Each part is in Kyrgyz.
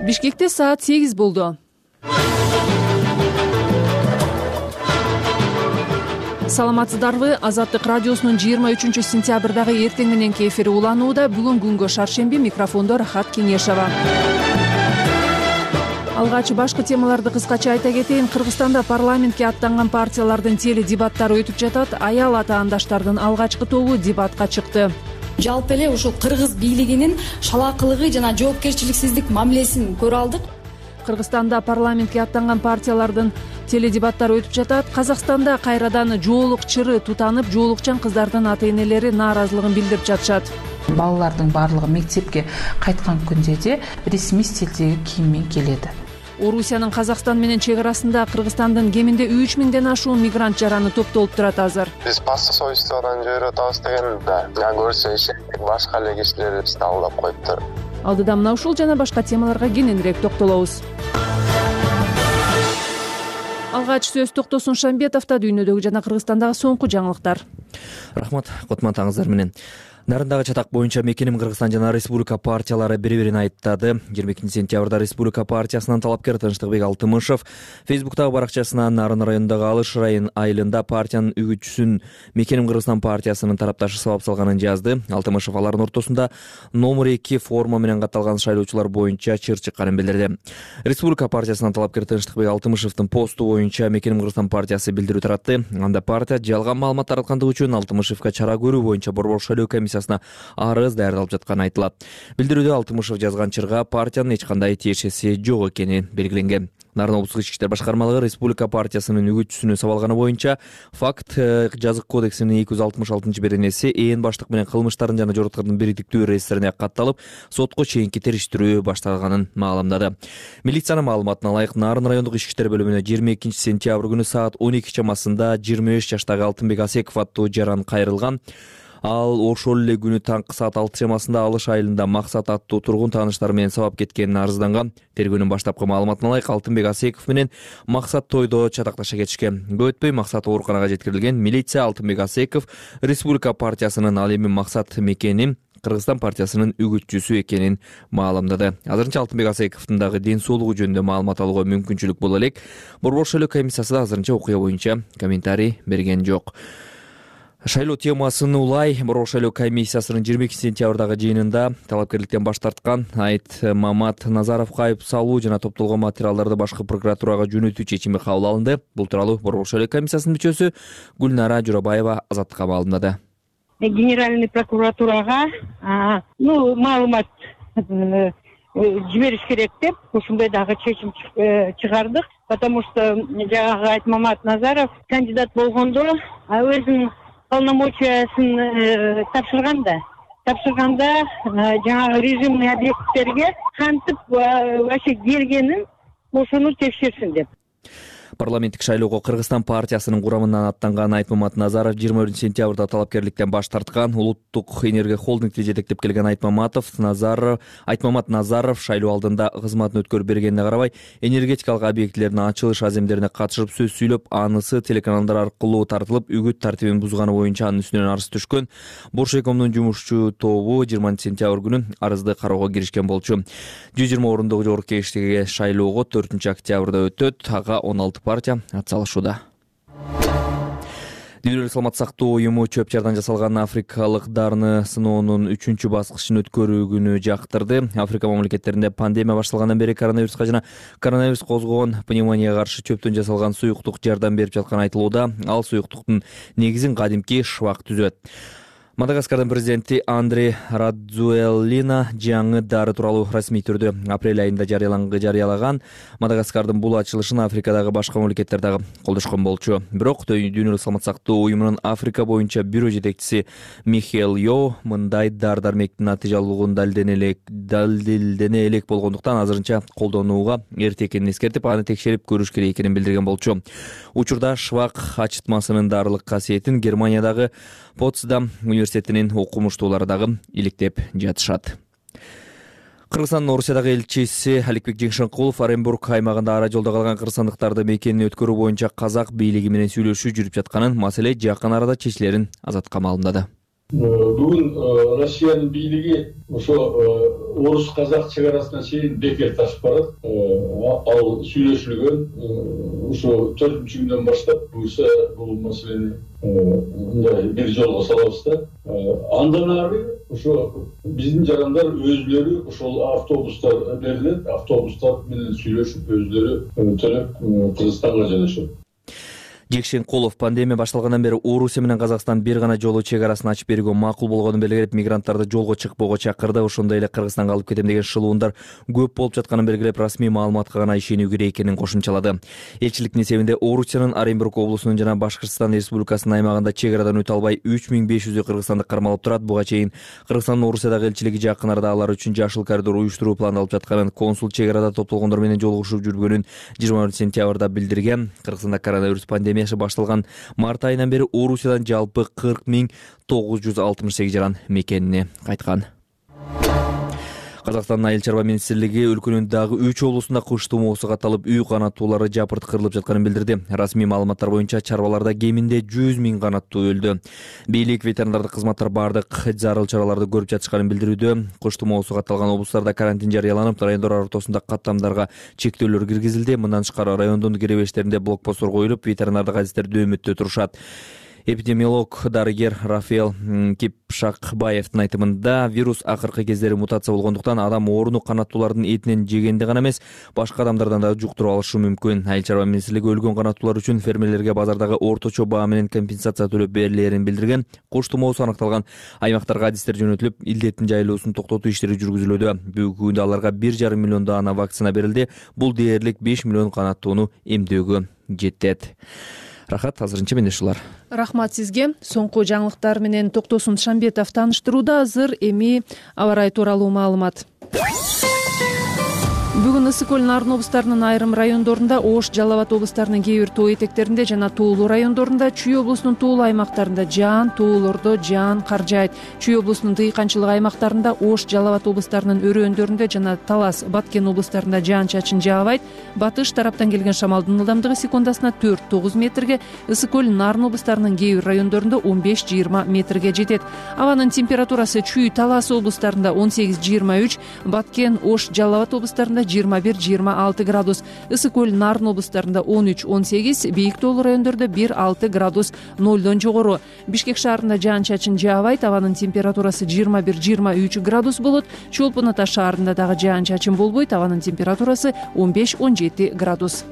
Бишкекте саат 8 болду. Саламатсыздарбы? Азаттык радиосунун 23-сентябрдагы эртең мененки эфири уланууда. Бүгүн күнгө шаршемби, микрофондо Рахат Кеңешова. Алгач башкы темаларды кыскача айта кетейин. Кыргызстанда парламентке аттанган партиялардын теледебаттары өтүп жатат. Аял атаандаштардын алгачкы тобу дебатка чыкты. Жалпы эле ушул кыргыз бийлигинин шалаакылыгы жана жоопкерчиликсиздик мамилесин көрө алдык. Кыргызстанда парламентке аттанган партиялардын теледебаттары өтүп жатат. Казакстанда кайрадан жоолук чыры тутанып, жоолукчан кыздардын ата-энелери нааразылыгын билдирип жатышат. Балалардын баардыгы мектепке кайткан күндө де ресми стилдеги кийиммен келеди. Орусиянын Казакстан менен чек арасында Кыргызстандын кеминде 3000ден ашуун мигрант жараны топтолуп турат азыр. Биз пассовойстводон жиберип атабыз деген да. Көрсө башка эле кишилер бизди алдап коюптур. Алдыда мына ушул жана башка темаларга кененирээк токтолобуз. Алгач сөз Токтосун Шамбетовдо дүйнөдөгү жана Кыргызстандагы соңку жаңылыктар. Рахмат, кутмандыңыздар менен. Нарындагы чатак боюнча Мекеним Кыргызстан жана Республика партиялары бири-бирин айыптады. 22-сентябрда Республика партиясынан талапкер Тынчтыкбек Алтымышев Фейсбуктагы баракчасына Нарын районундагы Алыш айылында партиянын үгүтчүсүн Мекеним Кыргызстан партиясынын тарапташы сабап салганын жазды. Алтымышев алардын ортосунда номер 2 форма менен катталган шайлоочулар боюнча чыр чыкканын билдирди. Республика партиясынан талапкер Тынчтыкбек Алтымышевдин посту боюнча Мекеним Кыргызстан партиясы билдирүү таратты. Анда партия жалган маалымат тараткандыгы үчүн Алтымышевке чара көрүү боюнча Борбор шайлоо комиссиясына арыз даярдалып жатканы айтылат. Билдирүүдө Алтымышев жазган чырга партиянын эч кандай тиешеси жок экени белгиленген. Нарын облустук ички иштер башкармалыгы Республика партиясынын үгүтчүсүнө сабалганы боюнча факт жазык кодексинин 266-беренеси ээн баштык менен кылмыштардын жана жороткордун бириктиктүү реестрине катталып, сотко чейинки териштирүү башталганын маалымдады. Милициянын маалыматына ылайык, Нарын райондук ички иштер бөлүмүнө 22-сентябрь күнү саат 12 чамасында 25 жаштагы Алтынбек Асеков аттуу жаран кайрылган. Ал ошол эле күнү таңкы саат 6 чамасында Алыш айылында Максат аттуу тургун тааныштары менен сабап кеткенин арызданган. Тергөөнүн баштапкы маалыматына ылайык, Алтынбек Асеков менен Максат тойдо чатакташа кетишкен. Көп өтпөй Максат ооруканага жеткирилген. Милиция Алтынбек Асеков Республика партиясынын, ал эми Максат Мекеним Кыргызстан партиясынын үгүтчүсү экенин маалымдады. Азырынча Алтынбек Асековдун дагы ден соолугу жөнүндө маалымат алууга мүмкүнчүлүк боло элек. Борбор шайлоо комиссиясы да азырынча окуя боюнча комментарий берген жок. Шайлоо темасын улай Борбор шайлоо комиссиясынын 22-сентябрдагы жыйынында талапкерликтен баш тарткан Айтмамат Назаровго айып салуу жана топтолгон материалдарды башкы прокуратурага жөнөтүү чечими кабыл алынды. Бул тууралуу Борбор шайлоо комиссиясынын мүчөсү Гүлнара Журабаева Азаттыкка маалымдады. Генеральный прокуратурага маалымат жибериш керек деп ушундай дагы чечим чыгардык, потому что жагы Айтмамат Назаров кандидат болгондо өзүнүн полномочиясын тапшырганда жаңагы режимный объекттерге кантип вообще келгенин ошону текшерсин деп. Парламенттик шайлоого Кыргызстан партиясынын курамынан аттанган Айтмамат Назаров 20-сентябрда талапкерликтен баш тарткан. Улуттук энергия холдингти жетектеп келген Айтмамат Назаров шайлоо алдында кызматын өткөрүп бергенине карабай, энергетикалык объектилердин ачылыш аземдерине катышып сөз сүйлөп, анысы телеканалдар аркылуу тартылып, үгүт тартибин бузганы боюнча анын үстүнөн арыз түшкөн. Боршекомдун жумушчу тобу 20-сентябрь күнү арызды кароого киришкен болчу. 120 орундук жогорку кеңештеги шайлоого 4-октябрда өтөт. Ага 16 партия атсалышууда. Дүйнөлүк саламаттык сактоо уюму чөп жардан жасалган африкалык дарыны сыноонун 3-чү баскычын өткөрүүгүнү жактырды. Африка мамлекеттеринде пандемия башталгандан бери коронавируска жана коронавирус козгогон пневмонияга каршы чөптөн жасалган суюктук жардам берип жатканы айтылууда. Ал суюктуктун негизин кадимки швак түзөт. Мадагаскардын президенти Андре Радзуэллина жаңы дары тууралуу расмий түрдө апрель айында жарыялаган. Мадагаскардын бул ачылышын Африкадагы башка мамлекеттер дагы колдошкон болчу. Бирок Дүйнөлүк саламаттык сактоо уюмунун Африка боюнча бюро жетекчиси Михаил Йо мындай дары-дармектин натыйжалуулугун далилдене элек болгондуктан азырынча колдонууга эрте экенин эскертип, аны текшерип көрүш керек экенин билдирген болчу. Учурда швак ачытмасынын дарылык касиетин Германиядагы Потсдам университетинин окумуштуулары дагы иликтеп жатышат. Кыргызстандын Орусиядагы элчиси Аликбек Жеңшенкулов Оренбург аймагында ара жолдо калган кыргызстандыктарды мекенин өткөрүү боюнча казак бийлиги менен сүйлөшүү жүрүп жатканын, маселе жакын арада чечилерин Азатка маалымдады. Бүгүн Россиянын бийлиги ошо орус казак чек арасына чейин бекер ташып барат. Ал сүйлөшүлгөн ошо 4-күндөн баштап буюрса бул маселени мындай бир жолго салабыз да. Андан ары ошо биздин жарандар өзүлөрү ошол автобустар берилет, автобустар менен сүйлөшүп өзүлөрү төлөп Кыргызстанга жөнөшөт. Жекшенкулов пандемия башталгандан бери Орусия менен Казакстан бир гана жолу чек арасын ачып берүүгө макул болгонун белгилеп, мигранттарды жолго чыкпоого чакырды. Ошондой эле Кыргызстанга алып кетем деген шылуундар көп болуп жатканын белгилеп, расмий маалыматка гана ишенүү керек экенин кошумчалады. Элчиликтин эсебинде Орусиянын Оренбург облусунун жана Башкыртстан Республикасынын аймагында чек арадан өтө албай 3500 кыргызстандык кармалып турат. Буга чейин Кыргызстандын Орусиядагы элчилиги жакын арада алар үчүн жашыл коридор уюштуруу пландалып жатканын, консул чек арада топтолгондор менен жолугушуп жүрбөгөнүн 20 сентябрда билдирген. Кыргызстанда коронавирус пандемиясы башталган март айынан бери Орусиядан жалпы 40.968 жаран мекенине кайткан. Казакстандын Айыл чарба министрлиги өлкөнүн дагы 3 облусунда кыш тумоосу катталып, үй канаттуулары жапырткырылып жатканын билдирди. Расмий маалыматтар боюнча чарбаларда кеминде 100 000 канаттуу өлдү. Бийлик ветеринардык кызматтар бардык зарыл чараларды көрүп жатышканын билдирүүдө. Кыш тумоосу катталган облустарда карантин жарыяланып, райондор ортосунда каттамдарга чектөөлөр киргизилди. Мындан тышкары райондун киребешттеринде блокпосттор коюлуп, ветеринардык адистер дөмөттө турушат. Эпидемиолог дарыгер Рафаэл Кипшакбаевдин айтымында, вирус акыркы кездери мутация болгондуктан адам ооруну канаттуулардын этинен жегенде гана эмес, башка адамдардан да жуктуруп алышы мүмкүн. Айыл чарба министрлиги өлгөн канаттуулар үчүн фермерлерге базардагы орточо баа менен компенсация төлөп берилерин билдирген. Куш тумоосу аныкталган аймактарга адистер жөнөтүлүп, илдеттин жайылуусун токтотуу иштери жүргүзүлүүдө. Бүгүнкү күндө аларга 1,5 миллион даана вакцина берилди. Бул дээрлик 5 миллион канаттууну эмдөөгө жетет. Рахат, азырынча менде ушулар. Рахмат сизге. Соңку жаңылыктар менен Токтосун Шамбетов тааныштырууда. Азыр эми аба ырайы тууралуу маалымат. Бүгүн ысык көл Нарын облустарынын айрым райондорунда, Ош, Жалал Абад облустарынын кээ бир тоо этектеринде жана Тоолуу райондорунда, Чүй облусунун Тоолуу аймактарында жаан, Тоолордо жаан кар жаайт. Чүй облусунун дыйканчылык аймактарында, Ош, Жалал Абад облустарынын өрөөндөрүндө жана Талас, Баткен облустарында жаан-чачын жаабайт. Батыш тараптан келген шамалдын ылдамдыгы секундасына 4-9 метрге, ысык көл Нарын облустарынын кээ бир райондорунда 15-20 метрге жетет. Абанын температурасы Чүй, Талас облустарында 18-23, Баткен, Ош, Жалал Абад облустарында 21-26 градус, ысык көл Нарын облустарында 13-18, бийик тоолуу райондордо 1-6 градус нолдон жогору. Бишкек шаарында жаан-чачын жаабайт, абанын температурасы 21-23 градус болот. Чолпон Ата шаарында дагы жаан-чачын болбойт, абанын температурасы 15-17 градус.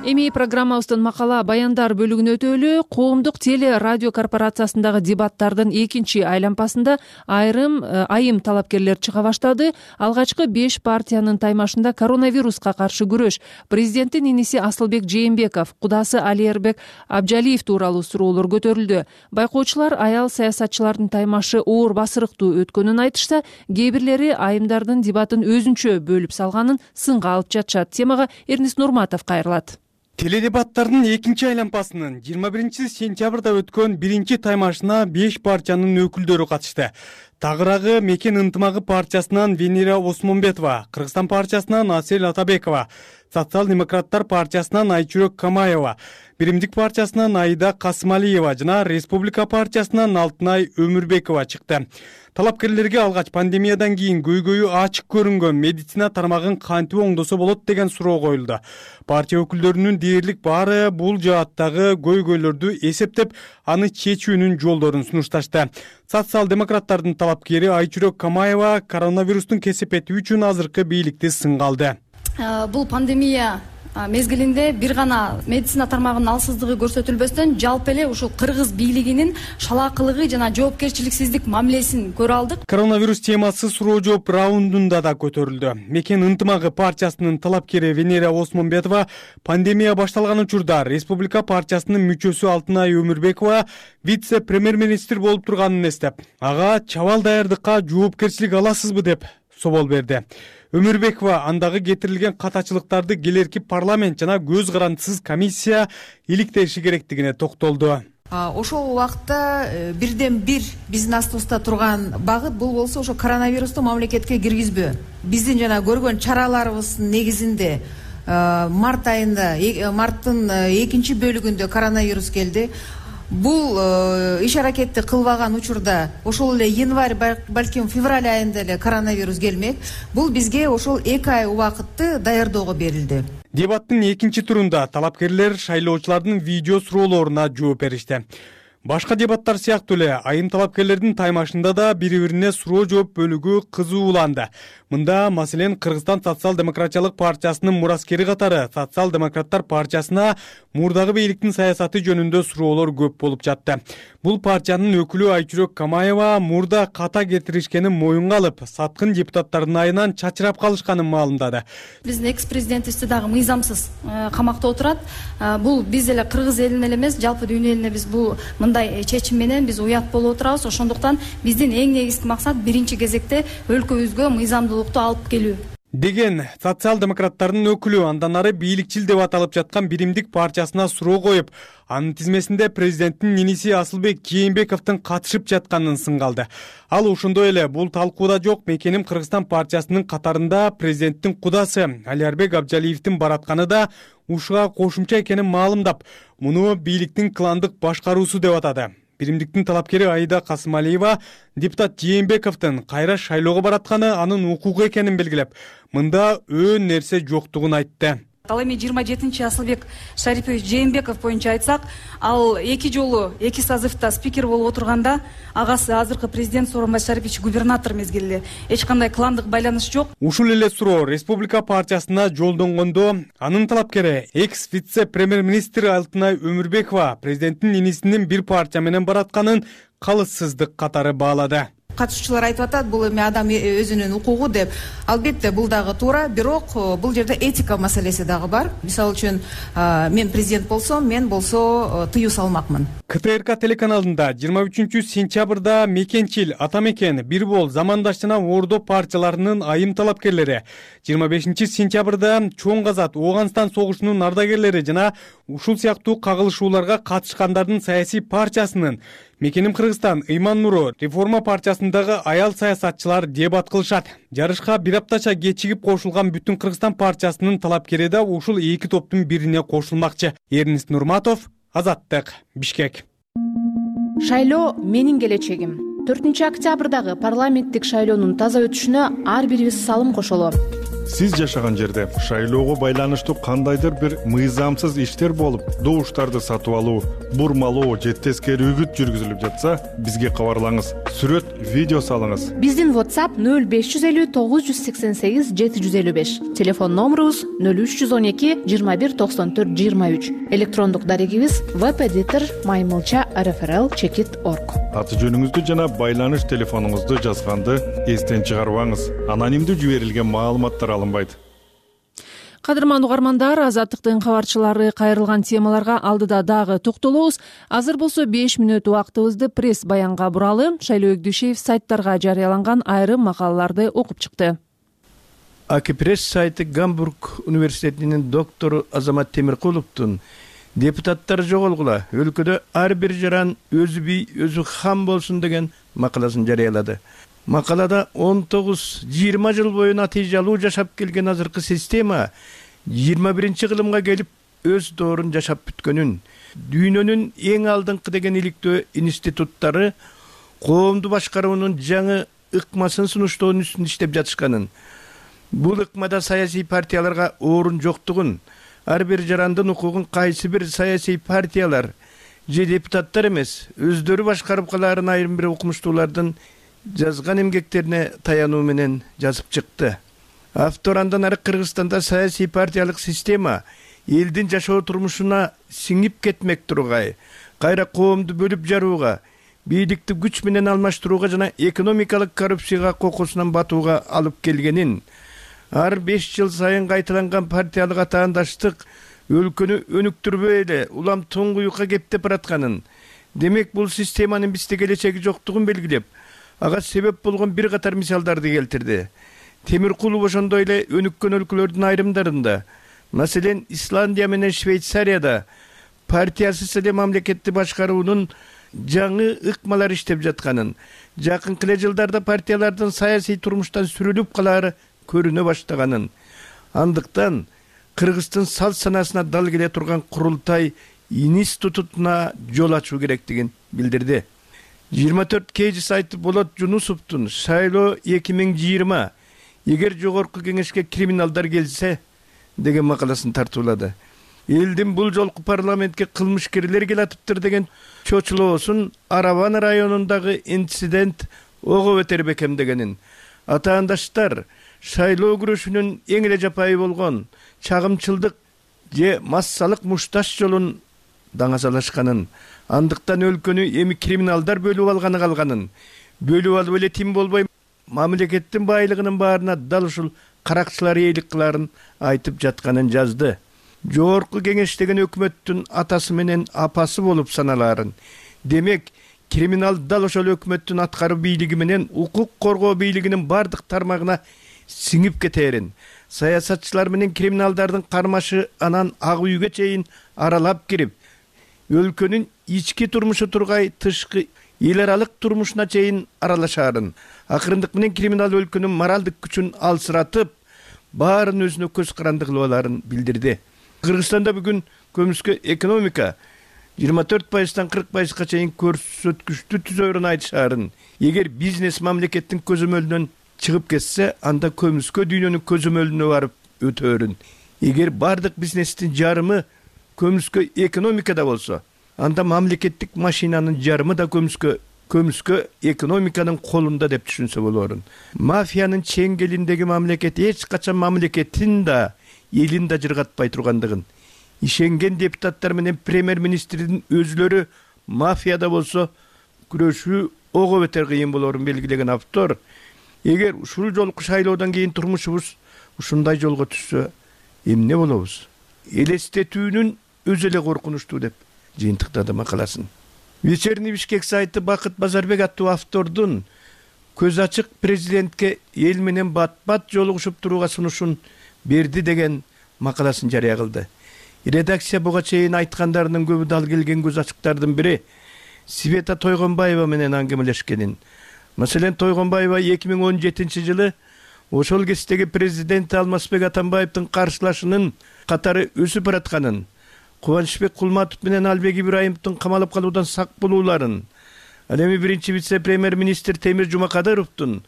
Эми программабыздын макала баяндар бөлүгүнө өтөлү. Коомдук теле радио корпорациясындагы дебаттардын экинчи айлампасында айым талапкерлер чыга баштады. Алгачкы 5 партиянын таймашында коронавируска каршы күрөш, президенттин иниси Асылбек Жээнбеков, кудасы Алиербек Абжалиев тууралуу суроолор көтөрүлдү. Байкоочулар аял саясатчылардын таймашы оор басырыктуу өткөнүн айтышса, кээ бирлери айымдардын дебатын өзүнчө бөлүп салганын сынга алып жатышат. Темага Эрнис Нурматов кайрылат. Теледебаттардын экинчи айлампасынын 21 сентябрда өткөн биринчи таймашына 5 партиянын өкүлдөрү катышты. Тагыраагы Мекен ынтымагы партиясынан Венера Осмонбетова, Кыргызстан партиясынан Асель Атабекова, Социал-демократтар партиясынан Айчүрөк Камаева, Биримдик партиясынан Аида Касымалиева жана Республика партиясынан Алтынай Өмүрбекова чыкты. Талапкерлерге алгач пандемиядан кийин көйгөйү ачык көрүнгөн медицина тармагын кантип оңдосо болот деген суроо коюлду. Партия өкүлдөрүнүн дээрлик баары бул жааттагы көйгөйлөрдү эсептеп, аны чечүүнүн жолдорун сунушташты. Социал-демократтардын талапкери Айчүрөк Камаева коронавирустун кесепети үчүн азыркы бийликти сынга алды. Бул пандемия мезгилинде бир гана медицина тармагынын алсыздыгы көрсөтүлбөстөн, жалпы эле ушул кыргыз бийлигинин шалаакылыгы жана жоопкерчиликсиздик мамилесин көрө алдык. Коронавирус темасы суроо жооп раундунда да көтөрүлдү. Мекен ынтымагы партиясынын талапкери Венера Осмонбетова пандемия башталган учурда Республика партиясынын мүчөсү Алтынай Өмүрбекова вице-премьер-министр болуп турганын эстеп, ага чабал даярдыкка жоопкерчилик аласызбы деп собол берди. Өмүрбекова андагы кетирилген катачылыктарды келерки парламент жана көз карандысыз комиссия иликтеши керектигине токтолду. Ошол убакта бирден бир биздин астыбызда турган багыт бул болсо ошо коронавирусту мамлекетке киргизбөө. Биздин жана көргөн чараларыбыздын негизинде март айында, марттын экинчи бөлүгүндө коронавирус келди. Бул иш аракетти кылбаган учурда ошол эле январь, балким февраль айында эле коронавирус келмек. Бул бизге ошол 2 ай убакытты даярдоого берилди. Дебаттын экинчи турунда талапкерлер шайлоочулардын видео суроолоруна жооп беришти. Башка дебаттар сыяктуу эле айым талапкерлердин таймашында да бири-бирине суроо жооп бөлүгү кызууланды. Мында маселен Кыргызстан социал-демократиялык партиясынын мураскери катары социал-демократтар партиясына мурдагы бийликтин саясаты жөнүндө суроолор көп болуп жатты. Бул партиянын өкүлү Айчүрөк Камаева мурда ката кетиришкенин моюнга алып, саткын депутаттардын айынан чачырап калышканын маалымдады. Биздин экс-президентибизди дагы мыйзамсыз камакта отурат. Бул биз эле кыргыз элине эле эмес, жалпы дүйнө элине биз бул мындай чечим менен биз уят болуп отурабыз. Ошондуктан биздин эң негизги максат биринчи кезекте өлкөбүзгө мыйзамдуулукту алып келүү деген социал-демократтардын өкүлү андан ары бийликчил деп аталып жаткан Биримдик партиясына суроо коюп, анын тизмесинде президенттин иниси Асылбек Кийинбековдун катышып жатканын сынгалды. Ал ошондой эле бул талкууда жок, Мекеним Кыргызстан партиясынын катарында президенттин кудасы Алиарбек Абжалиевдин баратканы да ушуга кошумча экенин маалымдап, муну бийликтин кландык башкаруусу деп атады. Биримдиктин талапкери Аида Касымалиева депутат Жээнбековдун кайра шайлоого баратканы анын укугу экенин белгилеп, мында өөн нерсе жоктугун айтты. Ал эми 27-чи Асылбек Шарипович Жээнбеков боюнча айтсак, ал 2 жолу 2 созывда спикер болуп отурганда, агасы азыркы президент Сооронбай Шарипович губернатор мезгилде эч кандай кландык байланыш жок. Ушул эле суроо Республика партиясына жолдонгондо, анын талапкери экс-вице-премьер-министр Алтынай Өмүрбекова президенттин инисинин бир партия менен баратканын калыссыздык катары баалады. Катышуучулар айтып атат, бул эми адам өзүнүн укугу деп. Албетте бул дагы туура, бирок бул жерде этика маселеси дагы бар. Мисалы үчүн, мен президент болсом, мен болсо тыюу салмакмын. КТРК телеканалында 23-сентябрда Мекенчил, Атамекен, Бир Бол, Замандаш жана Ордо партияларынын айым талапкерлери, 25-сентябрда Чоң Казат, Ооганстан согушунун ардагерлери жана ушул сыяктуу кагылышууларга катышкандардын саясий партиясынын Мекеним Кыргызстан, Ыйман Нуру, Реформа партиясындагы аял саясатчылар дебат кылышат. Жарышка бир аптача кечигип кошулган Бүтүн Кыргызстан партиясынын талапкери да ушул эки топтун бирине кошулмакчы. Эрнис Нурматов, Азаттык, Бишкек. Шайлоо менин келечегим. 4-октябрдагы парламенттик шайлоонун таза өтүшүнө ар бирибиз салым кошолу. Сиз жашаган жерде шайлоого байланыштуу кандайдыр бир мыйзамсыз иштер болуп, добуштарды сатып алуу, бурмалоо же тескери үгүт жүргүзүлүп жатса, бизге кабарлаңыз. Сүрөт, видео салыңыз. Биздин WhatsApp 0550 988 755. Телефон номерубуз 0312 21 94 23. Электрондук дарегибиз webeditor@maymulcha.rfrl.org. Аты жөнүңүздү жана байланыш телефонуңузду жазганды эстен чыгарбаңыз. Анонимдүү жиберилген маалыматтар алынбайт. Кадырман угармандар, Азаттыктын кабарчылары кайрылган темаларга алдыда дагы токтолобуз. Азыр болсо 5 мүнөт убактыбызды пресс баянга буралы. Шайлоо Өгдүшев сайттарга жарыяланган айрым макалаларды окуп чыкты. Акипресс сайты Гамбург университетинин доктору Азамат Темиркуловдун депутаттар жоголгула, өлкөдө ар бир жаран өзү бий, өзү хан болсун деген макаласын жарыялады. Макалада 19-20 жыл бою натыйжалуу жашап келген азыркы система 21-кылымга келип өз доорун жашап бүткөнүн, дүйнөнүн эң алдыңкы деген иликтөө институттары коомду башкаруунун жаңы ыкмасын сунуштоонун үстүндө иштеп жатышканын, бул ыкмада саясий партияларга орун жоктугун, ар бир жарандын укугун кайсы бир саясий партиялар же депутаттар эмес, өздөрү башкарып калаарын айрым бир окумуштуулардын жазган эмгектерине таянуу менен жазып чыкты. Автор андан ары Кыргызстанда саясий партиялык система элдин жашоо турмушуна сиңип кетмек тургай, кайра коомду бөлүп жарууга, бийликти күч менен алмаштырууга жана экономикалык коррупцияга кокусунан батууга алып келгенин, ар 5 жыл сайын кайталанган партиялык атаандаштык өлкөнү өнүктүрбөй эле улам туңгуюкка кептеп баратканын, демек бул системанын бизде келечеги жоктугун белгилеп, ага себеп болгон бир катар мисалдарды келтирди. Темиркулов ошондой эле өнүккөн өлкөлөрдүн айрымдарында, маселен Исландия менен Швейцарияда партиясыз эле мамлекетти башкаруунун жаңы ыкмалар иштеп жатканын, жакынкы эле жылдарда партиялардын саясий турмуштан сүрүлүп калаары көрүнө баштаганын. Андыктан Кыргыздын салт санасына дал келе турган курултай институтуна жол ачуу керектигин билдирди. 24 KG сайты Болот Жунусовдун шайлоо 2020 эгер жогорку кеңешке криминалдар келсе деген макаласын тартуулады. Элдин бул жолку парламентке кылмышкерлер келатыптыр деген чочулоосун Араван районундагы инцидент ого бетер бекемдегенин, атаандаштар шайлоо күрөшүнүн эң эле жапайы болгон чагымчылдык же массалык мушташ жолун даңазалашканын, андыктан өлкөнү эми криминалдар бөлүп алганы калганын, бөлүп алып эле тим болбой мамлекеттин байлыгынын баарына дал ушул каракчылар эйлик кыларын айтып жатканын жазды. Жогорку кеңештеген өкмөттүн атасы менен апасы болуп саналаарын, демек криминал дал ошол өкмөттүн аткаруу бийлиги менен укук коргоо бийлигинин бардык тармагына сиңип кетээрин, саясатчылар менен криминалдардын кармашы анан ак үйгө чейин аралап кирип, өлкөнүн ички турмушу тургай тышкы эл аралык турмушуна чейин аралашаарын, акырындык менен криминал өлкөнүн моралдык күчүн алсыратып, баарын өзүнө көз каранды кылып аларын билдирди. Кыргызстанда бүгүн көмүскө экономика 24%-тан 40%га чейин көрсөткүчтү түзөөрүн айтышаарын. Эгер бизнес мамлекеттин көзөмөлүнөн чыгып кетсе, анда көмүскө дүйнөнүн көзөмөлүнө барып өтөөрүн. Эгер бардык бизнестин жарымы көмүскө экономикада болсо, анда мамлекеттик машинанын жарымы да көмүскө экономиканын колунда деп түшүнсө болоорун. Мафиянын чеңгелиндеги мамлекет эч качан мамлекетин да элин да жыргатпай тургандыгын, ишенген депутаттар менен премьер-министрдин өзүлөрү мафияда болсо күрөшүү ого бетер кыйын болоорун белгилеген автор, эгер ушул жолку шайлоодон кийин турмушубуз ушундай жолго түшсө, эмне болобуз? Элестетүүнүн өзү эле коркунучтуу деп жыйынтыктады макаласын. Вечерний Бишкек сайты Бакыт Базарбек аттуу автордун көз ачык президентке эл менен бат-бат жолугушуп турууга сунушун берди деген макаласын жарыя кылды. Редакция буга чейин айткандарынын көбү дал келген көз ачыктардын бири Света Тойгонбаева менен аңгемелешкенин. Маселен, Тойгонбаева 2017 жылы ошол кездеги президент Алмазбек Атамбаевдин каршылашынын катары өсүп баратканын, Кубанычбек Кулматов менен Албек Ибраимовдун камалып калуудан сак болууларын, ал эми биринчи вице-премьер-министр Темир Жумакадыровдун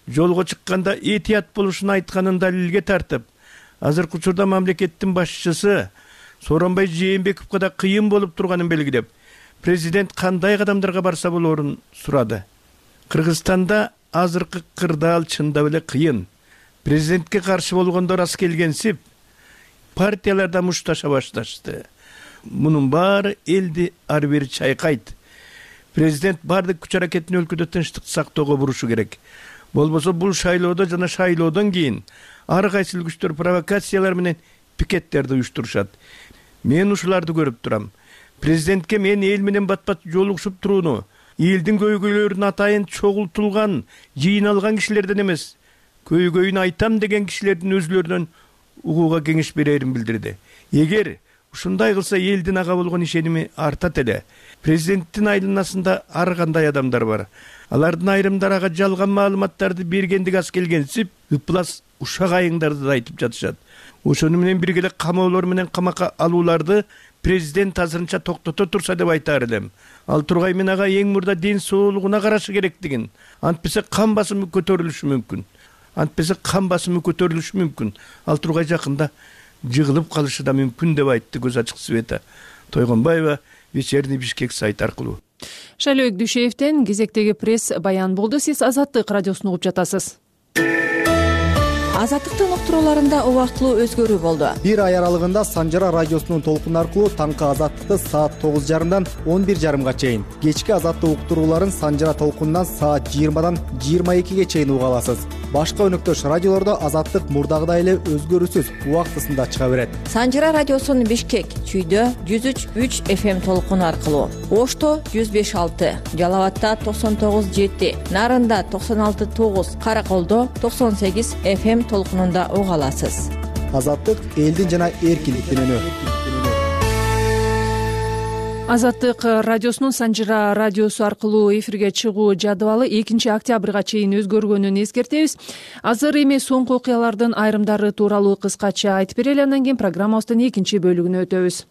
жолго чыкканда этият болушун айтканын далилге тартып, азыркы учурда мамлекеттин башчысы Сооронбай Жээнбековго да кыйын болуп турганын белгилеп, президент кандай кадамдарга барса болоорун сурады. Кыргызстанда азыркы кырдаал чындап эле кыйын. Президентке каршы болгондор аз келгенсип, партияларда мушташа башташты. Мунун баары элди ар бери чайкайт. Президент бардык күч аракетин өлкөдө тынчтыкты сактоого бурушу керек. Болбосо бул шайлоодо жана шайлоодон кийин ар кайсыл күчтөр провокациялар менен пикеттерди уюштурушат. Мен ушуларды көрүп турам. Президентке мен эл менен бат-бат жолугушуп турууну, элдин көйгөйлөрүн атайын чогултулган, жыйналган кишилерден эмес, көйгөйүн айтам деген кишилердин өзүлөрүнөн угууга кеңеш берерин билдирди. Эгер ушундай кылса элдин ага болгон ишеними артат эле. Президенттин айланасында ар кандай адамдар бар. Алардын айрымдары ага жалган маалыматтарды бергендиги аз келгенсип, ыплас ушак айыңдарды да айтып жатышат. Ошону менен бирге эле камоолор менен камакка алууларды президент азырынча токтото турса деп айтаар элем. Ал тургай мен ага эң мурда ден соолугуна карашы керектигин, антпесе кан басымы көтөрүлүшү мүмкүн. Ал тургай жакында жыгылып калышы да мүмкүн деп айтты көз ачык Света Тойгонбаева Вечерний Бишкек сайты аркылуу. Шайлоок Дүйшеевден кезектеги пресс баян болду. Сиз Азаттык радиосун угуп жатасыз. Азаттыктын уктурууларында убактылуу өзгөрүү болду. Бир ай аралыгында Санжара радиосунун толкуну аркылуу таңкы Азаттыкты саат 9:30-дан 11:30-га чейин, кечки Азаттык уктурууларын Санжара толкунунан саат 20-дан 22-ге чейин уга аласыз. Башка өнөктөш радиолордо Азаттык мурдагыдай эле өзгөрүүсүз убактысында чыга берет. Санжара радиосунун Бишкек, Чүйдө 103.3 FM толкуну аркылуу, Ошто 105.6, Жалал абадда 99.7, Нарында 96.9, Караколдо 98 FM толкунунда уга аласыз. Азаттык элдин жана эркиндиктин үнү. Азаттык радиосунун Санжыра радиосу аркылуу эфирге чыгуу жадыбалы 2 октябрга чейин өзгөргөнүн эскертебиз. Азыр эми соңку окуялардын айрымдары тууралуу кыскача айтып берели, андан кийин программабыздын экинчи бөлүгүнө өтөбүз.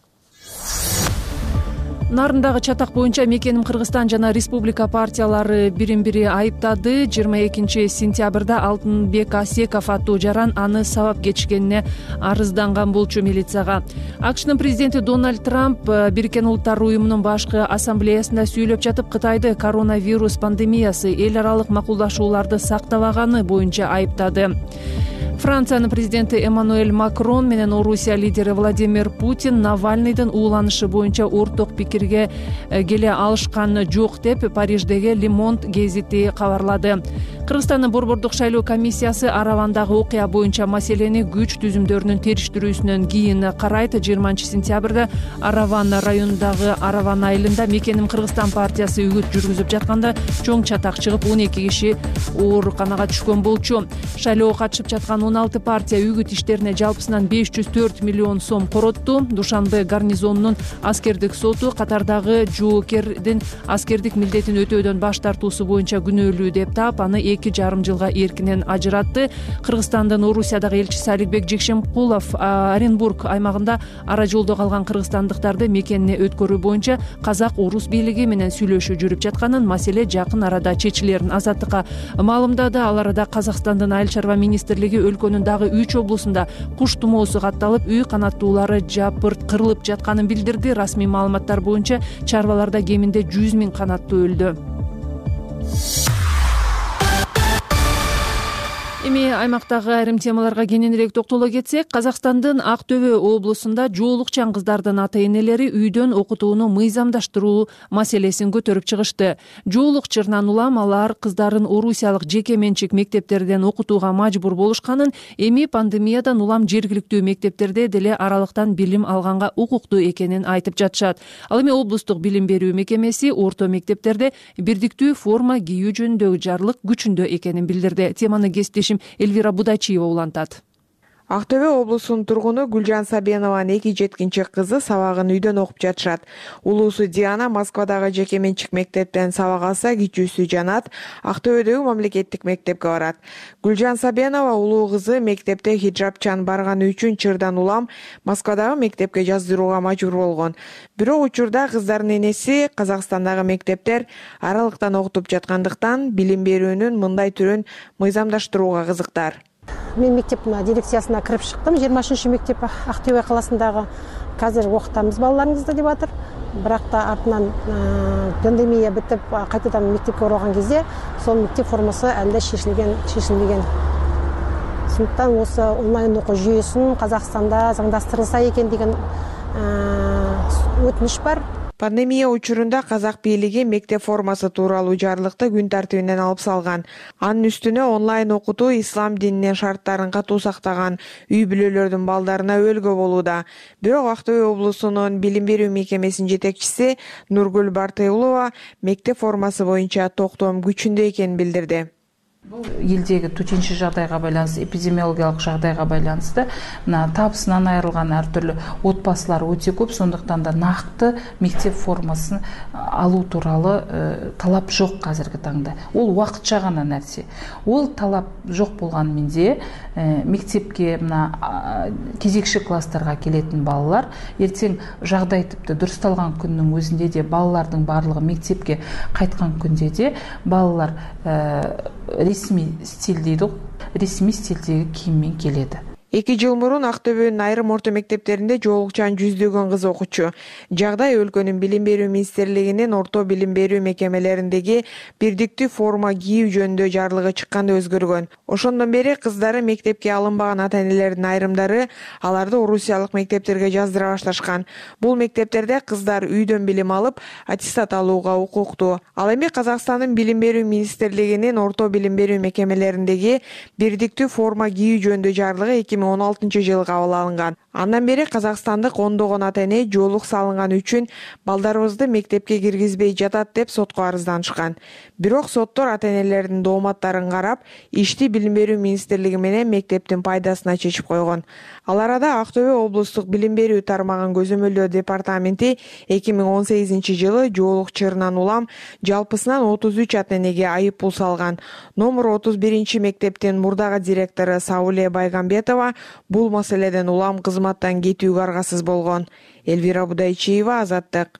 Нарындагы чатак боюнча Мекеним Кыргызстан жана республика партиялары бирин-бири айыптады. 22 сентябрда Алтынбек Асеков аттуу жаран аны сабап кетишкенине арызданган болчу милицияга. АКШнын президенти Дональд Трамп Бириккен Улуттар уюмунун башкы ассамблеясында сүйлөп жатып Кытайды коронавирус пандемиясы эл аралык макулдашууларды сактабаганы боюнча айыптады. Франциянын президенти Эммануэль Макрон менен Орусия лидери Владимир Путин Навальныйдын ууланышы боюнча орток пикирге келе алышкан жок деп Париждеги Le Monde гезити кабарлады. Кыргызстандын борбордук шайлоо комиссиясы Аравандагы окуя боюнча маселени күч түзүмдөрүнүн териштирүүсүнөн кийин карайт. 20 сентябрда Араван районундагы Араван айылында Мекеним Кыргызстан партиясы үгүт жүргүзүп жатканда чоң чатак чыгып 12 киши ооруканага түшкөн болчу. Шайлоого катышып жаткан 16 партия үгүт иштерине жалпысынан 504 миллион сом коротту. Душанбе гарнизонунун аскердик соту катардагы жоокердин аскердик милдетин өтөөдөн баш тартуусу боюнча күнөөлүү деп таап, аны 2,5 жылга эркинен ажыратты. Кыргызстандын Орусиядагы элчиси Аликбек Жекшенкулов Оренбург аймагында ара жолдо калган кыргызстандыктарды мекенине өткөрүү боюнча казак орус бийлиги менен сүйлөшүү жүрүп жатканын, маселе жакын арада чечилерин Азаттыкка маалымдады. Ал арада Казакстандын Айыл чарба министрлиги өлкөнүн дагы 3 облусунда куш тумоосу катталып, үй канаттуулары жапырт кырылып жатканын билдирди. Расмий маалыматтар боюнча чарбаларда кеминде 100 000 канаттуу өлдү. Эми аймактагы айрым темаларга кененирээк токтоло кетсек, Казакстандын Ак Төбө облусунда жоолукчан кыздардын ата-энелери үйдөн окутууну мыйзамдаштыруу маселесин көтөрүп чыгышты. Жоолук чырынан улам алар кыздарын орусиялык жеке менчик мектептерден окутууга мажбур болушканын, эми пандемиядан улам жергиликтүү мектептерде деле аралыктан билим алганга укуктуу экенин айтып жатышат. Ал эми облустук билим берүү мекемеси орто мектептерде бирдиктүү форма кийүү жөнүндөгү жарлык күчүндө экенин билдирди. Теманы кесиптешим Эльвира Будачиева улантат. Ак Төбө облусунун тургуну Гүлжан Сабенованын 2 жеткинчи кызы сабагын үйдөн окуп жатышат. Улуусу Диана Москвадагы жеке менчик мектептен сабак алса, кичүүсү Жанат Ак Төбөдөгү мамлекеттик мектепке барат. Гүлжан Сабенова улуу кызы мектепте хиджабчан барганы үчүн чырдан улам Москвадагы мектепке жаздырууга мажбур болгон. Бирок учурда кыздардын энеси Казакстандагы мектептер аралыктан окутуп жаткандыктан билим берүүнүн мындай түрүн мыйзамдаштырууга кызыктар. Мен мектептин дирекциясына кирип чыктым. 20 мектеп Ак Төбө каласындагы. Казыр окутабыз балдарыңызды деп атыр. Бирок да артынан пандемия бүтүп, кайтадан мектепке оралган кезде сол мектеп формасы әлде шешилбеген. Сондуктан осы онлайн окуу жүйөсүн Казакстанда заңдастырылса экен деген өтүнүш бар. Пандемия учурунда казак бийлиги мектеп формасы тууралуу жарлыкты күн тартибинен алып салган. Анын үстүнө онлайн окутуу ислам дининин шарттарын катуу сактаган үй бүлөлөрдүн балдарына өбөлгө болууда. Бирок Ак Төбө облусунун билим берүү мекемесинин жетекчиси Нургүл Бартыйлова мектеп формасы боюнча токтом күчүндө экенин билдирди. Елдегі төтенше жағдайға байланысты, эпидемиологиялық жағдайға байланысты табысынан айырылған әртүрлі отбасылар өте көп, сондықтан да нақты мектеп формасын алу туралы талап жоқ қазіргі таңда. Ол уақытша ғана нәрсе. Ол талап жоқ болғанымен де мектепке кезекші класстарға келетін балалар ертең жағдай тіпті дұрысталған күннің өзінде де балалардың барлығы мектепке қайтқан күнде де балалар ресми стиль дейді, ресми стилдегі киіммен келеді. 2 жыл мурун Ак Төбөнүн айрым орто мектептеринде жоолукчан жүздөгөн кыз окучу. Жагдай өлкөнүн билим берүү министрлигинин орто билим берүү мекемелериндеги бирдиктүү форма кийүү жөнүндө жарлыгы чыкканда өзгөргөн. Ошондон бери кыздары мектепке алынбаган ата-энелердин айрымдары аларды орусиялык мектептерге жаздыра башташкан. Бул мектептерде кыздар үйдөн билим алып, аттестат алууга укуктуу. Ал эми Казакстандын билим берүү министрлигинин орто билим берүү мекемелериндеги бирдиктүү форма кийүү жөнүндө жарлыгы 2016-жылы кабыл алынган. Андан бери казакстандык ондогон ата эне жоолук салынган үчүн балдарыбызды мектепке киргизбей жатат деп сотко арызданышкан. Бирок соттор ата энелердин дооматтарын карап, ишти Билим берүү министрлиги менен мектептин пайдасына чечип койгон. Ал арада Актөбө облустук билим берүү тармагын көзөмөлдөө департаменти 2018-жылы жоолук чырынан улам жалпысынан 33 ата энеге айып пул салган. Номер 31 мектептин мурдагы директору Сауле Байгамбетова бул маселеден улам кызматтан кетүүгө аргасыз болгон. Элвира Будайчиева, Азаттык.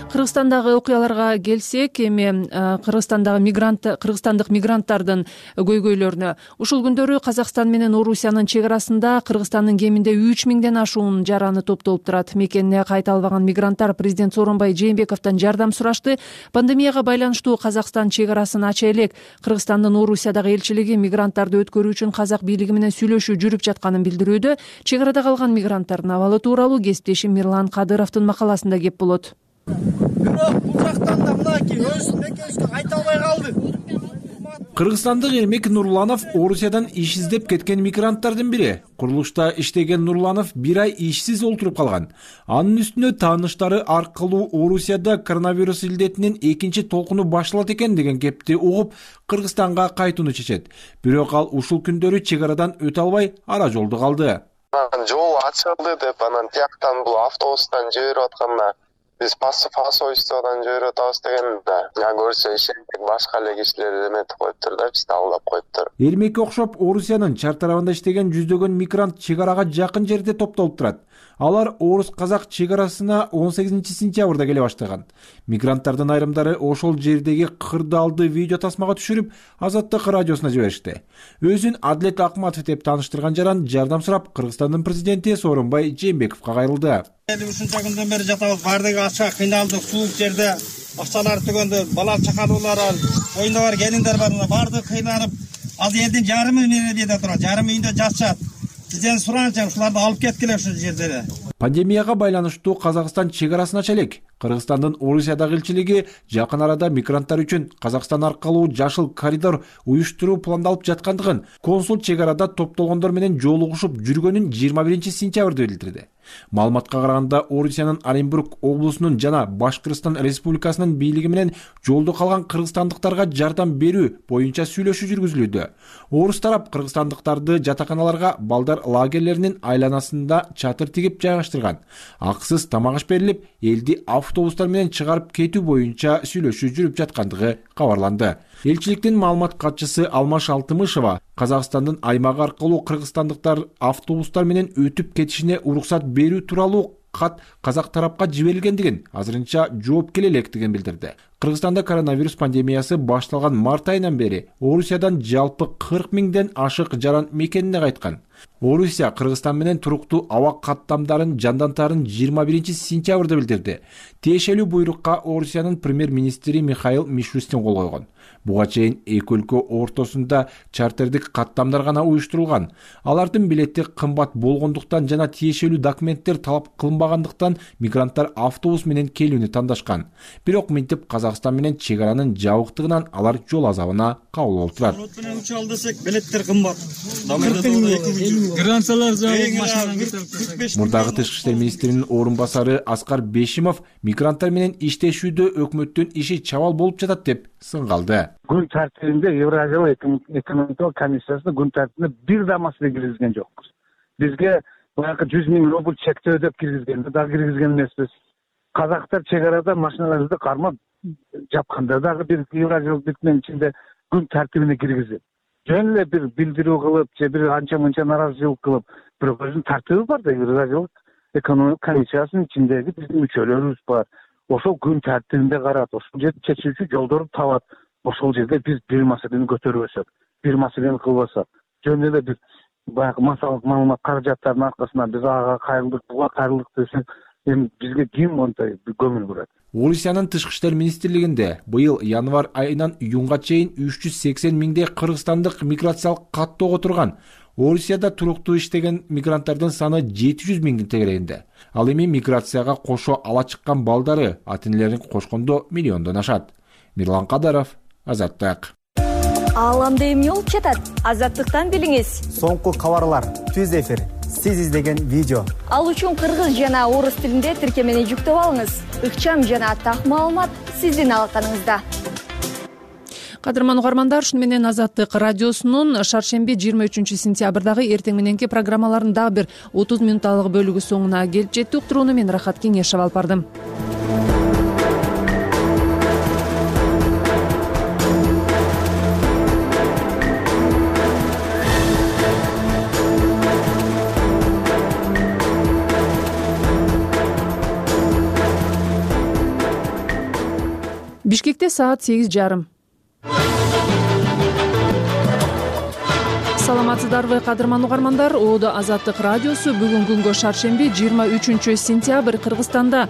Кыргызстандагы окуяларга келсек, эми кыргызстандык мигранттардын көйгөйлөрүнө. Ушул күндөрү Казакстан менен Орусиянын чек арасында Кыргызстандын кеминде 3000ден ашуун жараны топтолуп турат. Мекенине кайта албаган мигранттар президент Сооронбай Жээнбековдон жардам сурашты. Пандемияга байланыштуу Казакстан чек арасын ача элек. Кыргызстандын Орусиядагы элчилиги мигранттарды өткөрүү үчүн казак бийлиги менен сүйлөшүү жүрүп жатканын билдирүүдө. Чек арада калган мигранттардын абалы тууралуу кесиптешим Мирлан Кадыровдун макаласында кеп болот. Бирок бул жактан да мынакей өз мекенибизге кайта албай калды. Кыргызстандык Эрмек Нурланов Орусиядан иш издеп кеткен мигранттардын бири. Курулушта иштеген Нурланов 1 ай ишсиз олтуруп калган. Анын үстүнө тааныштары аркылуу Орусияда коронавирус илдетинин экинчи толкуну башталат экен деген кепти угуп, Кыргызстанга кайтууну чечет. Бирок ал ушул күндөрү чек арадан өтө албай ара жолдо калды. Жол ачылды деп анан тияктан бул автобустан жиберип атканда биз посольстводон жиберип атабыз дегенде, көрсө ишентип башка эле кишилер эметип коюптур да, бизди алдап коюптур. Эрмекке окшоп Орусиянын чар тарабында иштеген жүздөгөн мигрант чек арага жакын жерде топтолуп турат. Алар орус-казак чек арасына 18-сентябрда келе баштаган. Мигранттардын айрымдары ошол жердеги кырдаалды видео тасмага түшүрүп, Азаттык радиосуна жиберишти. Өзүн Адлет Акматов деп тааныштырган жаран жардам сурап Кыргызстандын президенти Сооронбай Жээнбековго кайрылды. Ушунча күндөн бери жатабыз, бардыгы ача кыйналдык, суук жерде акчалар түгөндө, бала чакалуулар бар, оюнда бар келиндер бар, бардыгы кыйналып, ал элдин жарымы эмнеде турат, жарымы үйүндө жатышат. Сизден суранчы ушуларды алып кеткиле ушул жерде. Пандемияга байланыштуу Казакстан чек арасын ача элек. Кыргызстандын Орусиядагы элчилиги жакын арада мигранттар үчүн Казакстан аркылуу жашыл коридор уюштуруу пландалып жаткандыгын, консул чек арада топтолгондор менен жолугушуп жүргөнүн 21-сентябрда билдирди. Маалыматка караганда, Орусиянын Оренбург облусунун жана Башкырстан Республикасынын бийлиги менен жолдо калган кыргызстандыктарга жардам берүү боюнча сүйлөшүү жүргүзүлүүдө. Орус тарап кыргызстандыктарды жатаканаларга, балдар лагерлеринин айланасында чатыр тигип жайгаштырган. Акысыз тамак аш берилип, элди автобустар менен чыгарып кетүү боюнча сүйлөшүү жүрүп жаткандыгы кабарланды. Элчиликтин маалымат катчысы Алмаш Алтымышева Казакстандын аймагы аркылуу кыргызстандыктар автобустар менен өтүп кетишине уруксат берүү тууралуу кат казак тарапка жиберилгендигин, азырынча жооп келе электигин билдирди. Кыргызстанда коронавирус пандемиясы башталган март айынан бери Орусиядан жалпы 40 000ден ашык жаран мекенине кайткан. Орусия Кыргызстан менен туруктуу аба каттамдарын жандантаарын 21-сентябрда билдирди. Тиешелүү буйрукка Орусиянын премьер-министри Михаил Мишустин кол койгон. Буга чейин эки өлкө ортосунда чартердик каттамдар гана уюштурулган. Алардын билети кымбат болгондуктан жана тиешелүү документтер талап кылынбагандыктан мигранттар автобус менен келүүнү тандашкан. Бирок минтип Казакстан менен чек аранын жабыктыгынан алар жол азабына кабыл болуп турат. Билеттер кымбат. Мурдагы тышкы иштер министринин орун басары Аскар Бешимов мигранттар менен иштешүүдө өкмөттүн иши чабал болуп жатат деп сынгалды. Күн тартибинде Евразиялык экономикалык комиссиясына күн тартибине бир да маселе киргизген жокпуз. Бизге баягы 100 000 рубль чектөө деп киргизгенде дагы киргизген эмеспиз. Казактар чек арада машиналарды кармап жапканда дагы бир Евразиялык бирикменин ичинде күн тартибине киргизип, жөн эле бир билдирүү кылып, же бир анча-мынча нааразычылык кылып, бирок өзүнүн тартиби бар да, Евразиялык экономикалык комиссиясынын ичиндеги биздин мүчөлөрүбүз бар. Ошол күн тартибинде карат, ошол жерде чечүүчү жолдорду табат. Ошол жерде биз бир маселени көтөрбөсөк, бир маселени кылбасак, жөн эле бир баягы массалык маалымат каражаттарынын аркасынан биз ага кайрылдык, буга кайрылдык десек, эми бизге ким мондай көңүл бурат? Орусиянын тышкы иштер министрлигинде быйыл январь айынан июнга чейин 380 000 кыргызстандык миграциялык каттоого турган. Орусияда туруктуу иштеген мигранттардын саны 700 000 тегерегинде. Ал эми миграцияга кошо ала чыккан балдары ата-энелерин кошкондо миллиондон ашат. Мирлан Кадыров, Азаттык. Ааламда эмне болуп жатат? Азаттыктан билиңиз. Соңку кабарлар, түз эфир, сиз издеген видео. Ал үчүн кыргыз жана орус тилинде тиркемени жүктөп алыңыз. Ыкчам жана так маалымат сиздин алаканыңызда. Кадырман угармандар, ушуну менен Азаттык радиосунун шаршемби 23 сентябрдагы эртең мененки программаларынын дагы бир 30 минутталык бөлүгү соңуна келип жетти. Уктурууну мен Рахат Кеңешев алып бардым. Бишкекте саат 8:30. Саламатсыздарбы, кадырман угармандар? Оодо Азаттык радиосу бүгүн күнгө шаршемби 23 сентябрь Кыргызстанда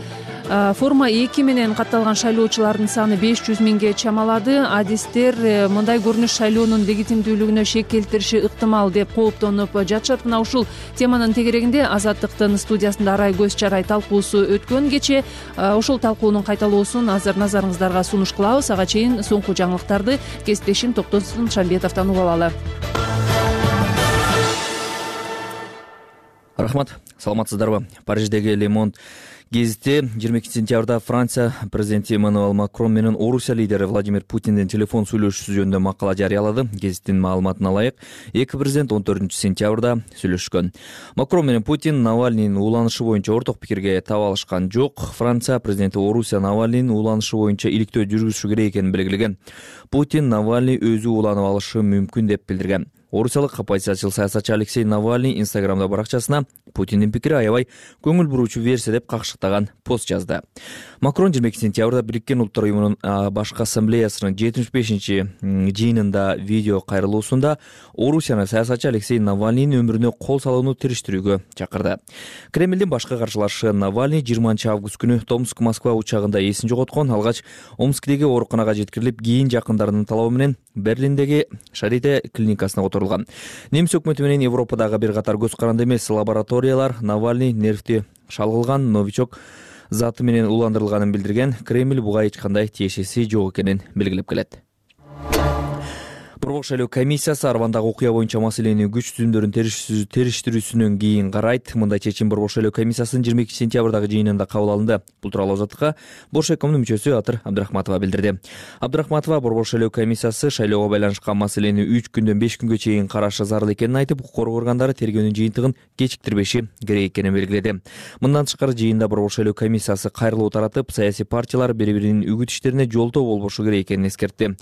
форма 2 менен катталган шайлоочулардын саны 500 миңге чамалады. Адистер мындай көрүнүш шайлоонун легитимдүүлүгүнө шек келтириши ыктымал деп кооптонуп жатышат. Мына ушул теманын тегерегинде Азаттыктын студиясында арай көз чарай талкуусу өткөн кечээ. Ушул талкуунун кайталоосун азыр назарыңыздарга сунуш кылабыз. Ага чейин соңку жаңылыктарды кесиптешим Токтосун Шамбетовдон угуп алалы. Рахмат, саламатсыздарбы? Париждеги Le Monde гезитте 22 сентябрда Франция президенти Эммануэль Макрон менен Орусия лидери Владимир Путиндин телефон сүйлөшүүсү жөнүндө макала жарыялады. Гезиттин маалыматына ылайык, эки президент 14 сентябрда сүйлөшкөн. Макрон менен Путин Навальныйдын ууланышы боюнча орток пикирге таба алышкан жок. Франция президенти Орусия Навальныйдын ууланышы боюнча иликтөө жүргүзүшү керек экенин белгилеген. Путин Навальный өзү ууланып алышы мүмкүн деп билдирген. Орусиялык оппозициячыл саясатчы Алексей Навальный Инстаграмда баракчасына Путиндин пикири аябай көңүл буруучу версия деп какшыктаган пост жазды. Макрон 22 сентябрда Бириккен Улуттар уюмунун башкы ассамблеясынын 75-жыйынында видео кайрылуусунда Орусияны саясатчы Алексей Навальныйдын өмүрүнө кол салууну териштирүүгө чакырды. Кремлдин башкы каршылашы Навальный 20 август күнү Томск-Москва учагында эсин жоготкон. Алгач Омскдеги ооруканага жеткирилип, кийин жакындарынын талабы менен Берлиндеги Шарите клиникасына которулган. Немис өкмөтү менен Европадагы бир катар көз каранды эмес лабораториялар Навальный нервти шалгылган новичок заты менен уландырылганын билдирген. Кремль буга эч кандай тиешеси жок экенин белгилеп келет. Борбор шайлоо комиссиясы Арвандагы окуя боюнча маселени күч түзүмдөрүн териштирүүсүнөн кийин карайт. Мындай чечим Борбор шайлоо комиссиясынын 22 сентябрдагы жыйынында кабыл алынды. Бул тууралуу Азаттыкка Боршекомдун мүчөсү Атыр Абдрахматова билдирди. Абдрахматова Борбор шайлоо комиссиясы шайлоого байланышкан маселени 3 күндөн 5 күнгө чейин карашы зарыл экенин айтып, укук коргоо органдары тергөөнүн жыйынтыгын кечиктирбеши керек экенин белгиледи. Мындан тышкары жыйында Борбор шайлоо комиссиясы кайрылуу таратып, саясий партиялар бири-биринин үгүт иштерине жолтоо болбошу керек экенин эскертти.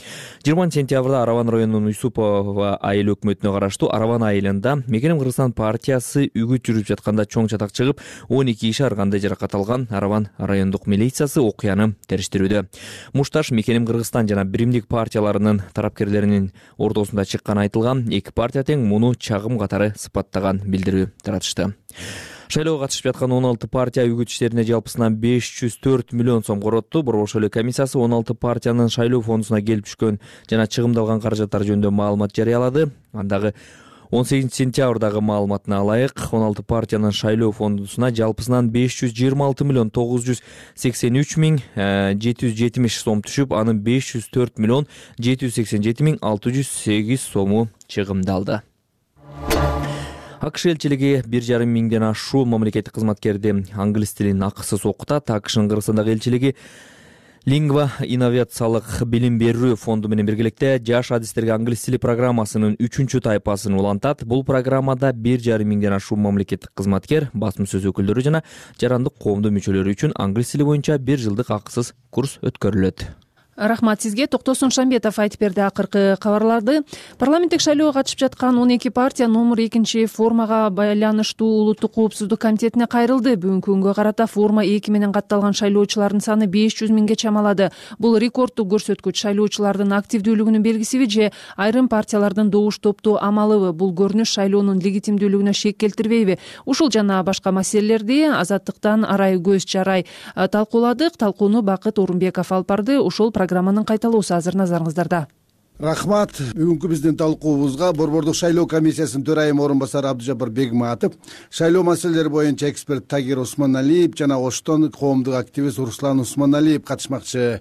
20 сентябрда Араван районунун Юсупова айыл өкмөтүнө караштуу Араван айылында Мекеним Кыргызстан партиясы үгүт жүрүп жатканда чоң чатак чыгып, 12 киши ар кандай жаракат алган. Араван райондук милициясы окуяны териштирүүдө. Мушташ Мекеним Кыргызстан жана Биримдик партияларынын тарапкерлеринин ортосунда чыкканы айтылган. Эки партия тең муну чагым катары сыпаттаган билдирүү таратышты. Шайлоого катышып жаткан 16 партия үгүт иштерине жалпысынан 504 миллион сом коротту. Борбор шайлоо комиссиясы 16 партиянын шайлоо фондусуна келип түшкөн жана чыгымдалган каражаттар жөнүндө маалымат жарыялады. Андагы 18 сентябрдагы маалыматына ылайык 16 партиянын шайлоо фондусуна жалпысынан 526 миллион 983 миң 770 сом түшүп, анын 504 миллион 787 миң 608 сому чыгымдалды. АКШ элчилиги 1,5 миңден ашуу мамлекеттик кызматкерди англис тилин акысыз окутат. АКШнын Кыргызстандагы элчилиги Лингва инновациялык билим берүү фонду менен биргеликте жаш адистерге англис тили программасынын 3-чү тайпасын улантат. Бул программада 1,5 миңден ашуу мамлекеттик кызматкер, басым сөз өкүлдөрү жана жарандык коомдун мүчөлөрү үчүн англис тили боюнча 1 жылдык акысыз курс өткөрүлөт. Рахмат сизге. Токтосун Шамбетов айтып берди акыркы кабарларды. Парламенттик шайлоого катышып жаткан 12 партия номер 2 формага байланыштуу улуттук коопсуздук комитетине кайрылды. Бүгүнкү күнгө карата форма 2 менен катталган шайлоочулардын саны 500 миңге чамалады. Бул рекорддук көрсөткүч. Шайлоочулардын активдүүлүгүнүн белгисиби же айрым партиялардын добуш топтоо амалыбы? Бул көрүнүш шайлоонун легитимдүүлүгүнө шек келтирбейби? Ушул жана башка маселелерди Азаттыктан арай көз чарай талкууладык. Талкууну Бакыт Орунбеков алып барды. Ушул программанын кайталоосу азыр назарыңыздарда. Рахмат. Бүгүнкү биздин талкуубузга Борбордук шайлоо комиссиясынын төрайымы орун басары Абдыжапар Бегматов, шайлоо маселелери боюнча эксперт Тагир Осмоналиев жана Оштон коомдук активист Руслан Усмоналиев катышмакчы.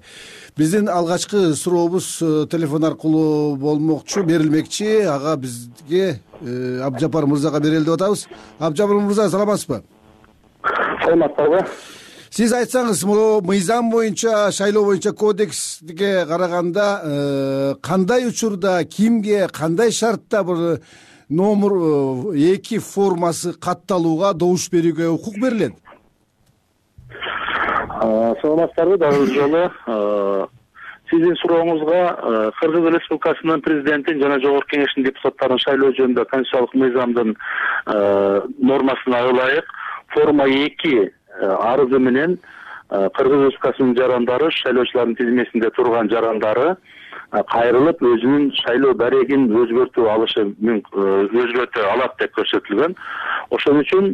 Биздин алгачкы сурообуз телефон аркылуу болмокчу, берилмекчи. Ага бизге Абдыжапар мырзага берели деп атабыз. Абдыжапар мырза, саламатсызбы? Саламатсызбы? Сиз айтсаңыз, мыйзам боюнча, шайлоо боюнча кодекске караганда кандай учурда, кимге, кандай шартта бир номер 2 формасы катталууга, добуш берүүгө укук берилет? Саламатсыздарбы? Дагы бир жолу сиздин сурооңузга Кыргыз Республикасынын президентин жана Жогорку Кеңештин депутаттарын шайлоо жөнүндө конституциялык мыйзамдын нормасына ылайык форма 2 арызы менен Кыргыз Республикасынын жарандары, шайлоочулардын тизмесинде турган жарандары кайрылып өзүнүн шайлоо дарегин өзгөртүп алат деп көрсөтүлгөн. Ошон үчүн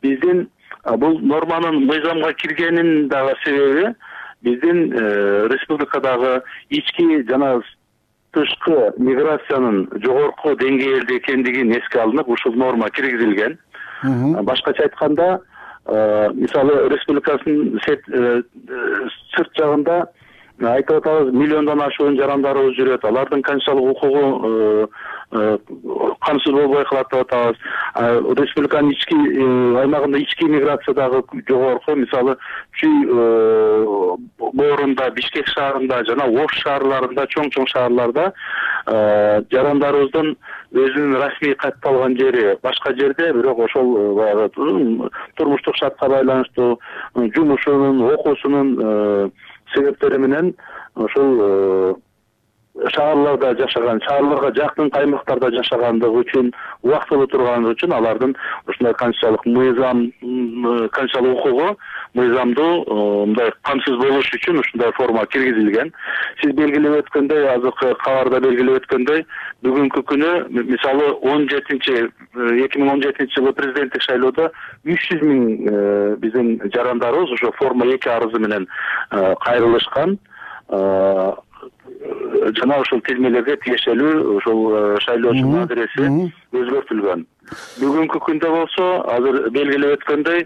биздин бул норманын мыйзамга киргенинин дагы себеби биздин республикадагы ички жана тышкы миграциянын жогорку деңгээлде экендигин эске алынып, ушул норма киргизилген. Башкача айтканда, мисалы республикасынын сырт жагында айтып атабыз, миллиондон ашуун жарандарыбыз жүрөт. Алардын конституциялык укугу камсыз болбой калат деп атабыз. Республиканын ички аймагында ички миграциядагы жогорку, мисалы Чүй боорунда, Бишкек шаарында жана Ош шаарларында, чоң шаарларда жарандарыбыздын өзүнүн расмий катталган жери башка жерде, бирок ошол баягы турмуштук шартка байланыштуу жумушунун, окуусунун себептери менен ошол шаарларда жашаган, шаарларга жакын аймактарда жашагандыгы үчүн, убактылуу тургандыгы үчүн алардын ушундай конституциялык мыйзам, конституциялык укугу, мыйзамдуу мындай камсыз болуш үчүн ушундай форма киргизилген. Сиз белгилеп өткөндөй, азыркы кабарда белгилеп өткөндөй, бүгүнкү күнү мисалы 2017 жылы президенттик шайлоодо 300 миң биздин жарандарыбыз ошо форма 2 арызы менен кайрылышкан. Жана ошол тизмелерге тиешелүү ошол шайлоочунун адреси өзгөртүлгөн. Бүгүнкү күндө болсо, азыр белгилеп өткөндөй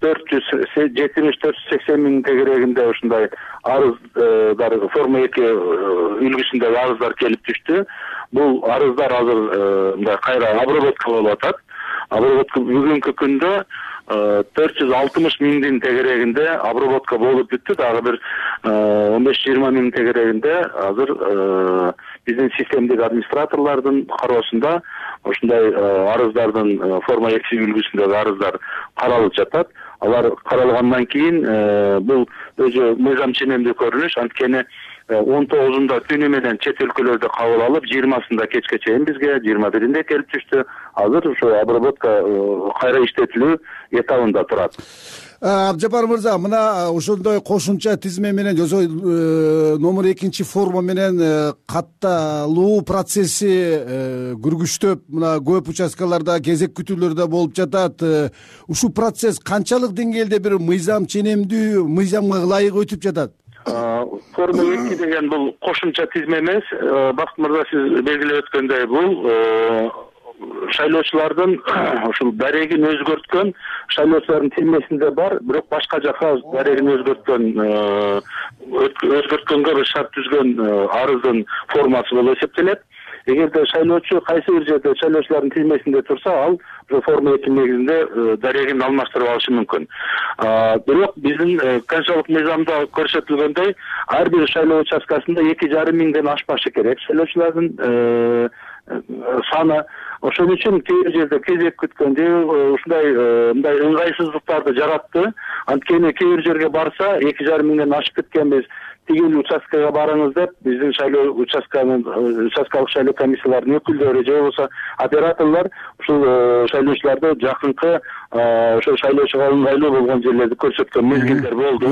480 миң тегерегинде ушундай арыздар, форма 2 үлгүсүндөгү арыздар келип түштү. Бул арыздар азыр мындай кайра обработка болуп атат. Обработка бүгүнкү күндө 460 миңдин тегерегинде обработка болуп бүттү. Дагы бир 15-20 миң тегерегинде азыр биздин системдик администраторлордун кароосунда ушундай арыздардын форма 2 үлгүсүндөгү арыздар каралып жатат. Алар каралгандан кийин бул өзү мыйзам ченемдүү көрүнүш, анткени 19-унда түнү менен чет өлкөлөрдө кабыл алып, 20-сында кечке чейин бизге, 21-инде келип түштү. Азыр ошо обработка кайра иштетилүү этабында турат. Абдыжапар мырза, мына ошондой кошумча тизме менен номер 2 форма менен катталуу процесси күргүчтөп, мына көп участкаларда кезек күтүүлөрдө болуп жатат. Ушул процесс канчалык деңгээлде бир мыйзам ченемдүү, мыйзамга ылайык өтүп жатат? Форма 2 деген бул кошумча тизме эмес. Бакыт мырза, сиз белгилеп өткөндөй, бул шайлоочулардын ушул дарегин өзгөрткөн, шайлоочулардын тизмесинде бар, бирок башка жака дарегин өзгөрткөнгө бир шарт түзгөн арыздын формасы болуп эсептелет. Эгерде шайлоочу кайсы бир жерде шайлоочулардын тизмесинде турса, ал ошо форма 2 негизинде дарегин алмаштырып алышы мүмкүн. Бирок биздин конституциялык мыйзамда көрсөтүлгөндөй, ар бир шайлоо участкасында 2,5 миңден ашпашы керек шайлоочулардын саны. Ошон үчүн кээ бир жерде кезек күткөн же ушундай мындай ыңгайсыздыктарды жаратты. Анткени кээ бир жерге барса 2,5 миңден ашып кеткенбиз, тигил участкага барыңыз деп биздин шайлоо участкалык шайлоо комиссияларынын өкүлдөрү же болбосо операторлор ушул шайлоочуларды жакынкы ошол шайлоочуга ыңгайлуу болгон жерлерди көрсөткөн мезгилдер болду.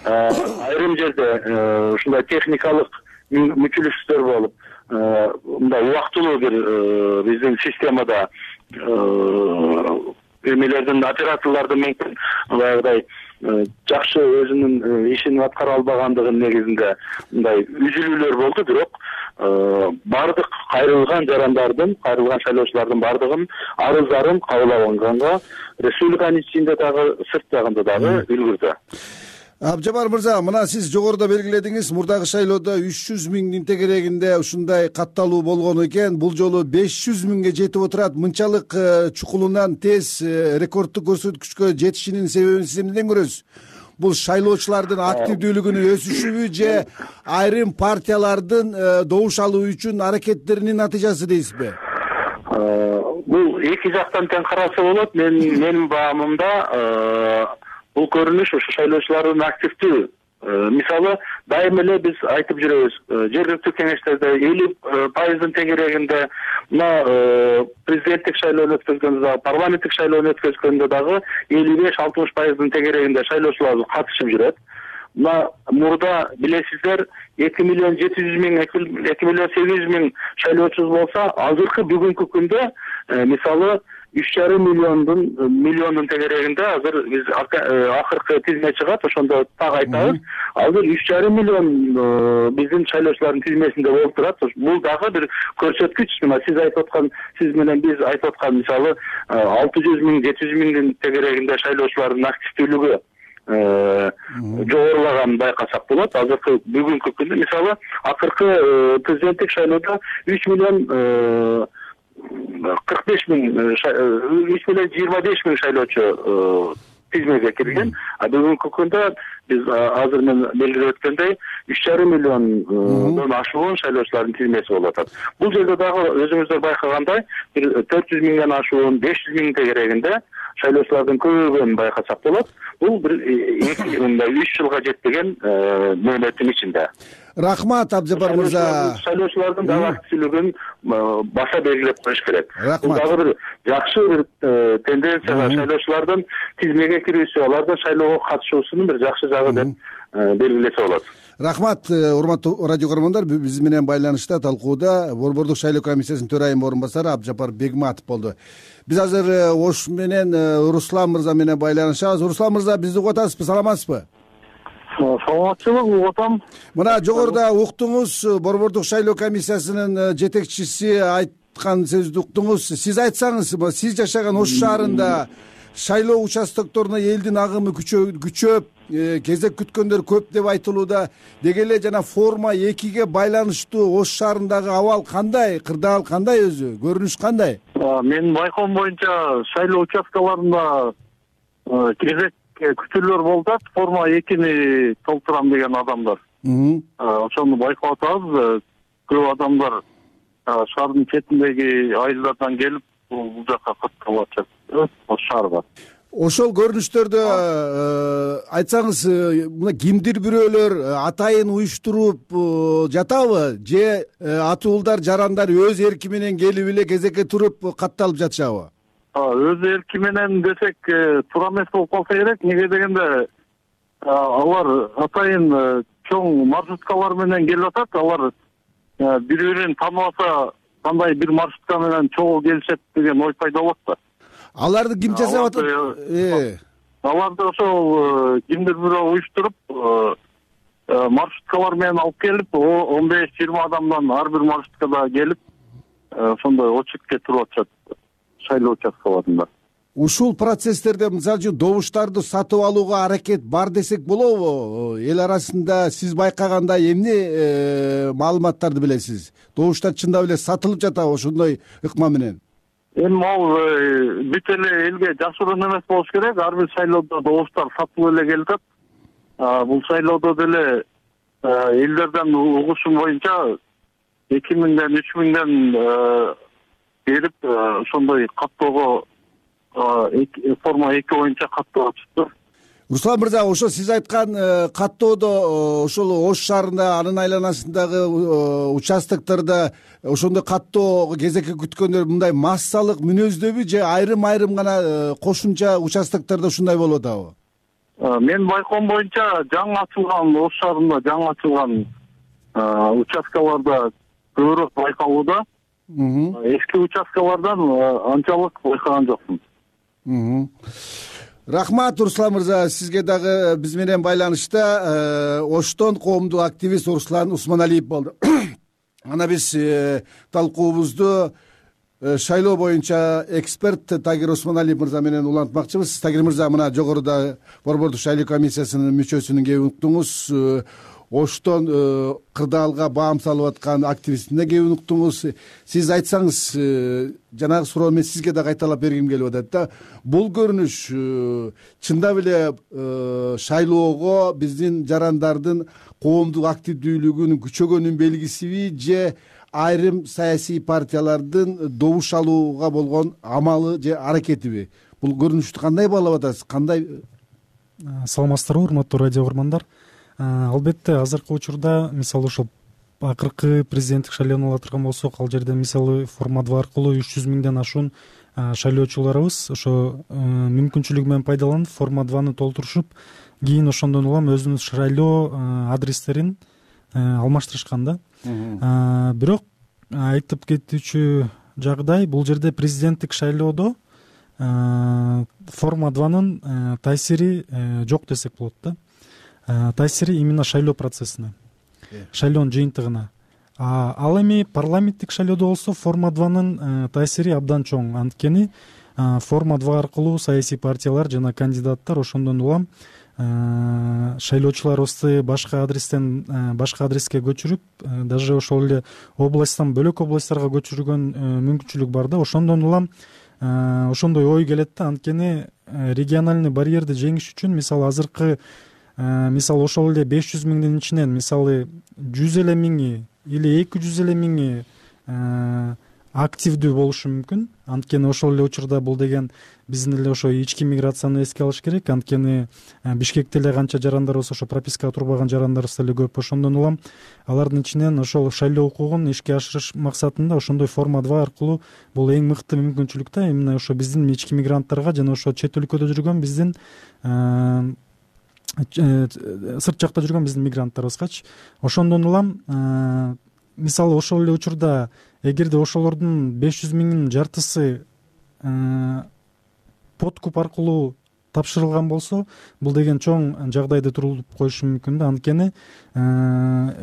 Айрым жерде ушундай техникалык мүчүлүштөр болуп, мындай убактылуу бир биздин системада эмелердин, операторлордун мүмкүн баягыдай жакшы өзүнүн ишин аткара албагандыгынын негизинде мындай үзүлүүлөр болду. Бирок бардык кайрылган жарандардын, кайрылган шайлоочулардын бардыгын арыздарын кабыл алынганга республиканын ичинде дагы сырт жагында дагы үлгүрдү. Абжапар мырза, мына сиз жогоруда белгиледиңиз, мурдагы шайлоодо 300 миңдин тегерегинде ушундай катталуу болгон экен. Бул жолу 500 миңге жетип отурат. Мынчалык чукулунан тез рекорддук көрсөткүчкө жетишинин себебин сиз эмнеден көрөсүз? Бул шайлоочулардын активдүүлүгүнүн өсүшүбү же айрым партиялардын добуш алуу үчүн аракеттеринин натыйжасы дейсизби? Бул эки жактан тең каралса болот. Менин баамымда бул көрүнүш ушу шайлоочулардын активдүү. Мисалы, дайым эле биз айтып жүрөбүз, жергиликтүү кеңештерде 50% тегерегинде мына президенттик шайлоону өткөзгөндө дагы, парламенттик шайлоону өткөзгөндө дагы 55-60% тегерегинде шайлоочулар катышып жүрөт. Мына мурда билесиздер 2 миллион 700 миң, 2 миллион 800 миң шайлоочубуз болсо, азыркы бүгүнкү күндө мисалы 3,5 миллиондун тегерегинде азыр биз акыркы тизме чыгат, ошондо так айтабыз. Азыр 3,5 миллион биздин шайлоочулардын тизмесинде болуп турат. Бул дагы бир көрсөткүч. Мына сиз менен биз айтып аткан мисалы 600 миң, 700 миңдин тегерегинде шайлоочулардын активдүүлүгү жогорулаганын байкасак болот. Азыркы бүгүнкү күндө мисалы акыркы президенттик шайлоодо 3 миллион 45 миң, 3 миллион 25 миң шайлоочу тизмеге кирген. Бүгүнкү күндө биз азыр мен белгилеп өткөндөй 3,5 миллиондон ашуун шайлоочулардын тизмеси болуп атат. Бул жерде дагы өзүңүздөр байкагандай 400 миңден ашуун 500 миң тегерегинде шайлоочулардын көбөйгөнүн байкасак болот. Бул бир 3 жылга жетпеген мөөнөттүн ичинде. Рахмат, Абжапар мырза. Шайлоочулардын дагы активдүүлүгүн баса белгилеп коюш керек. Бул дагы бир жакшы бир тенденцияга шайлоочулардын тизмеге кирүүсү, алардын шайлоого катышуусунун бир жакшы жагы деп белгилесе болот. Рахмат, урматтуу радио көрөрмандар. Биз менен байланышта талкууда Борбордук шайлоо комиссиясынын төрайым орун басары Абжапар Бегматов болду. Биз азыр Ош менен Руслан мырза менен байланышабыз. Руслан мырза, бизди угуп атасызбы, саламатсызбы? Саламатчылык, угуп атам. Мына жогоруда уктуңуз, Борбордук шайлоо комиссиясынын жетекчиси айткан сөздү уктуңуз. Сиз айтсаңыз, сиз жашаган Ош шаарында шайлоо участокторуна элдин агымы күчөп, кезек күткөндөр көп деп айтылууда. Деги эле жана форма 2ге байланыштуу Ош шаарындагы абал кандай, кырдаал кандай, өзү көрүнүш кандай? Менин байкоом боюнча шайлоо участкаларында кезек күтүүлөр болуп атат. Форма 2-ни толтурам деген адамдар. Ошону байкап атабыз. Көп адамдар шаардын четиндеги айылдардан келип бул жакка катталып атышат. Ош шаарга. Ошол көрүнүштөрдө айтсаңыз, мына кимдир бирөөлөр атайын уюштуруп жатабы же атуулдар, жарандар өз эрки менен келип эле кезекке туруп катталып жатышабы? Өз эрки менен десек туура эмес болуп калса керек. Неге дегенде алар атайын чоң маршруткалар менен келип атат. Алар бири-бирин тааныбаса кандай бир маршрутка менен чогуу келишет деген ой пайда болот да. Аларды ким жасап атат? Аларды ошол кимдир бирөө уюштуруп маршруткалар менен алып келип, 15-20 адамдан ар бир маршруткада келип, ошондой очередке туруп атышат шайлоо участкаларында. Ушул процесстерде мисалы үчүн добуштарды сатып алууга аракет бар десек болобу? Эл арасында сиз байкагандай эмне маалыматтарды билесиз? Добуштар чындап эле сатылып жатабы ошондой ыкма менен? Эми ал бүт эле элге жашыруун эмес болуш керек. Ар бир шайлоодо добуштар сатылып эле келип атат. Бул шайлоодо деле элдерден угушум боюнча 2000ден 3000ден берип ошондой каттоого форма 2 боюнча каттоо чыкты. Руслан мырза, ошо сиз айткан каттоодо ошол Ош шаарында, анын айланасындагы участоктордо ошондой каттоого кезекке күткөндөр мындай массалык мүнөздөбү же айрым гана кошумча участоктордо ушундай болуп атабы? Мен байкоом боюнча жаңы ачылган Ош шаарында жаңы ачылган участкаларда көбүрөөк байкалууда. Эски участкалардан анчалык байкаган жокмун. Рахмат Руслан мырза, сизге дагы биз менен байланышта Оштон коомдук активист Руслан Усманалиев болду. Ана биз талкуубузду шайлоо боюнча эксперт Тагир Усманалиев мырза менен улантмакчыбыз. Тагир мырза, мына жогоруда борбордук шайлоо комиссиясынын мүчөсүнүн кеп уктуңуз. Оштон кырдаалга баам салып аткан активистине кеп уктуңуз. Сиз айтсаңыз, жанагы суроо мен сизге да кайталап бергим келип атат да. Бул көрүнүш чындап эле шайлоого биздин жарандардын коомдук активдүүлүгүнүн күчөгөнүн белгисиби же айрым саясий партиялардын добуш алууга болгон амалы же аракетиби? Бул көрүнүштү кандай баалап атасыз? Кандай? Саламатсыздарбы, урматтуу радио угармандар. Албетте азыркы учурда мисалы ошол акыркы президенттик шайлоону ала турган болсок, ал жерде мисалы форма 2 аркылуу 300 миңден ашуун шайлоочуларыбыз ошо мүмкүнчүлүгү менен пайдаланып форма 2-ны толтурушуп, кийин ошондон улам өзүнүн шайлоо адрестерин алмаштырышкан да. Бирок айтып кетүүчү жагдай, бул жерде президенттик шайлоодо форма 2-нын таасири жок десек болот да. Таасири именно шайлоо процессине, шайлоонун жыйынтыгына. Ал эми парламенттик шайлоодо болсо форма 2-нын таасири абдан чоң. Анткени форма 2 аркылуу саясий партиялар жана кандидаттар ошондон улам шайлоочуларыбызды башка адрестен башка адреске көчүрүп, даже ошол эле областтан бөлөк областтарга көчүргөн мүмкүнчүлүк бар да. Ошондон улам ошондой ой келет да. Анткени региональный барьерди жеңиш үчүн мисалы азыркы мисалы ошол эле 500 миңдин ичинен мисалы 100 эле миңи или 200 эле миңи активдүү болушу мүмкүн. Анткени ошол эле учурда бул деген биздин эле ошо ички миграцияны эске алыш керек. Анткени Бишкекте эле канча жарандарыбыз ошо пропискага турбаган жарандарыбыз деле көп. Ошондон улам алардын ичинен ошол шайлоо укугун ишке ашырыш максатында ошондой форма 2 аркылуу бул эң мыкты мүмкүнчүлүк да. Именно ошо биздин ички мигранттарга жана ошо чет өлкөдө жүргөн биздин сырт жакта жүргөн биздин мигранттарыбызгачы. Ошондон улам мисалы ошол эле учурда эгерде ошолордун 500 миңдин жартысы подкуп аркылуу тапшырылган болсо, бул деген чоң жагдайды турулуп коюшу мүмкүн да. Анткени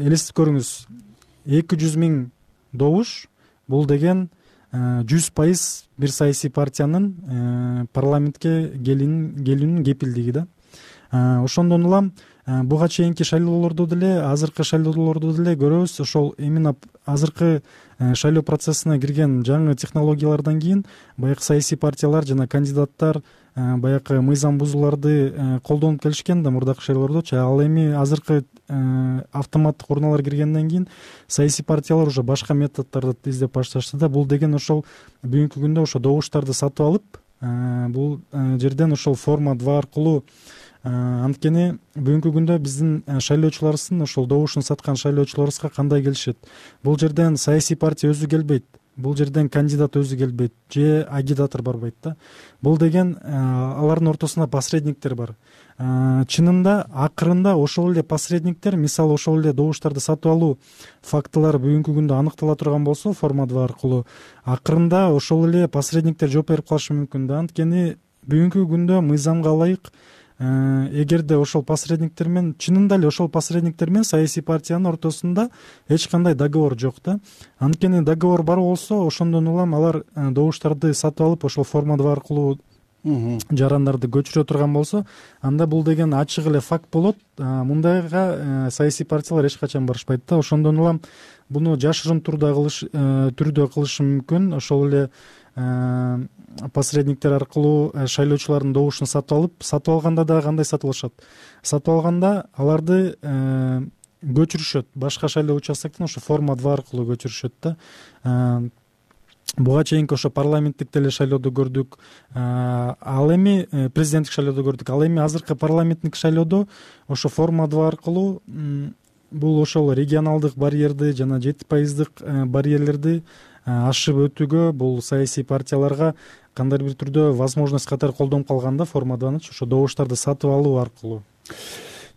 элестип көрүңүз, 200 миң добуш бул деген 100% бир саясий партиянын парламентке келүүнүн кепилдиги да. Ошондон улам буга чейинки шайлоолордо деле, азыркы шайлоолордо деле көрөбүз, ошол именно азыркы шайлоо процессине кирген жаңы технологиялардан кийин баягы саясий партиялар жана кандидаттар баягы мыйзам бузууларды колдонуп келишкен да мурдакы шайлоолордочу. Ал эми азыркы автоматтык урналар киргенден кийин саясий партиялар уже башка методдорду издеп башташты да. Бул деген ошол бүгүнкү күндө ошо добуштарды сатып алып, бул жерден ошол форма 2 аркылуу, анткени бүгүнкү күндө биздин шайлоочуларыбыздын ошол добушун саткан шайлоочуларыбызга кандай келишет? Бул жерден саясий партия өзү келбейт, бул жерден кандидат өзү келбейт же агитатор барбайт да. Бул деген алардын ортосунда посредниктер бар. Чынында акырында ошол эле посредниктер, мисалы ошол эле добуштарды сатып алуу фактылары бүгүнкү күндө аныктала турган болсо форма 2 аркылуу, акырында ошол эле посредниктер жооп берип калышы мүмкүн да. Анткени бүгүнкү күндө мыйзамга ылайык эгерде ошол посредниктер менен, чынында эле ошол посредниктер менен саясий партиянын ортосунда эч кандай договор жок да. Анткени договор бар болсо, ошондон улам алар добуштарды сатып алып ошол форма 2 аркылуу жарандарды көчүрө турган болсо, анда бул деген ачык эле факт болот. Мындайга саясий партиялар эч качан барышпайт да. Ошондон улам буну жашырын түрдө кылышы мүмкүн. Ошол эле посредниктер аркылуу шайлоочулардын добушун сатып алганда дагы кандай сатып алышат? Сатып алганда аларды көчүрүшөт, башка шайлоо участоктон ошо форма 2 аркылуу көчүрүшөт да. Буга чейинки ошо парламенттик деле шайлоодо көрдүк, ал эми президенттик шайлоодо көрдүк. Ал эми азыркы парламенттик шайлоодо ошо форма 2 аркылуу бул ошол регионалдык барьерди жана 7% барьерлерди ашып өтүүгө бул саясий партияларга кандайдыр бир түрдө возможность катары колдонуп калган да форма 2-ны, ошо добуштарды сатып алуу аркылуу.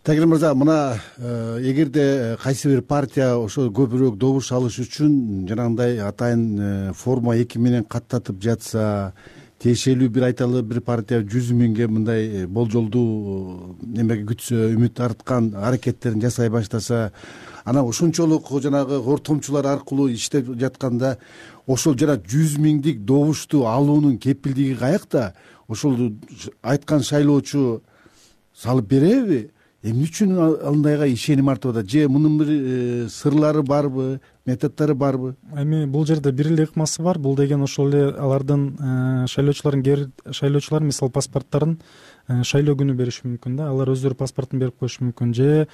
Тагир мырза, мына эгерде кайсы бир партия ошо көбүрөөк добуш алыш үчүн жанагындай атайын форма 2 менен каттатып жатса тиешелүү бир айталы бир партия 100 миңге мындай болжолдуу немеге күтсө, үмүт арткан аракеттерин жасай баштаса, анан ошончолук жанагы ортомчулар аркылуу иштеп жатканда ошол жана 100 миңдик добушту алуунун кепилдиги каякта? Ошол айткан шайлоочу салып береби? Эмне үчүн андайга ишеним артып атат? Же мунун бир сырлары барбы, методдору барбы? Эми бул жерде бир эле ыкмасы бар. Бул деген ошол эле алардын шайлоочулар мисалы паспорттарын шайлоо күнү бериши мүмкүн да. Алар өздөрү паспортун берип коюшу мүмкүн, же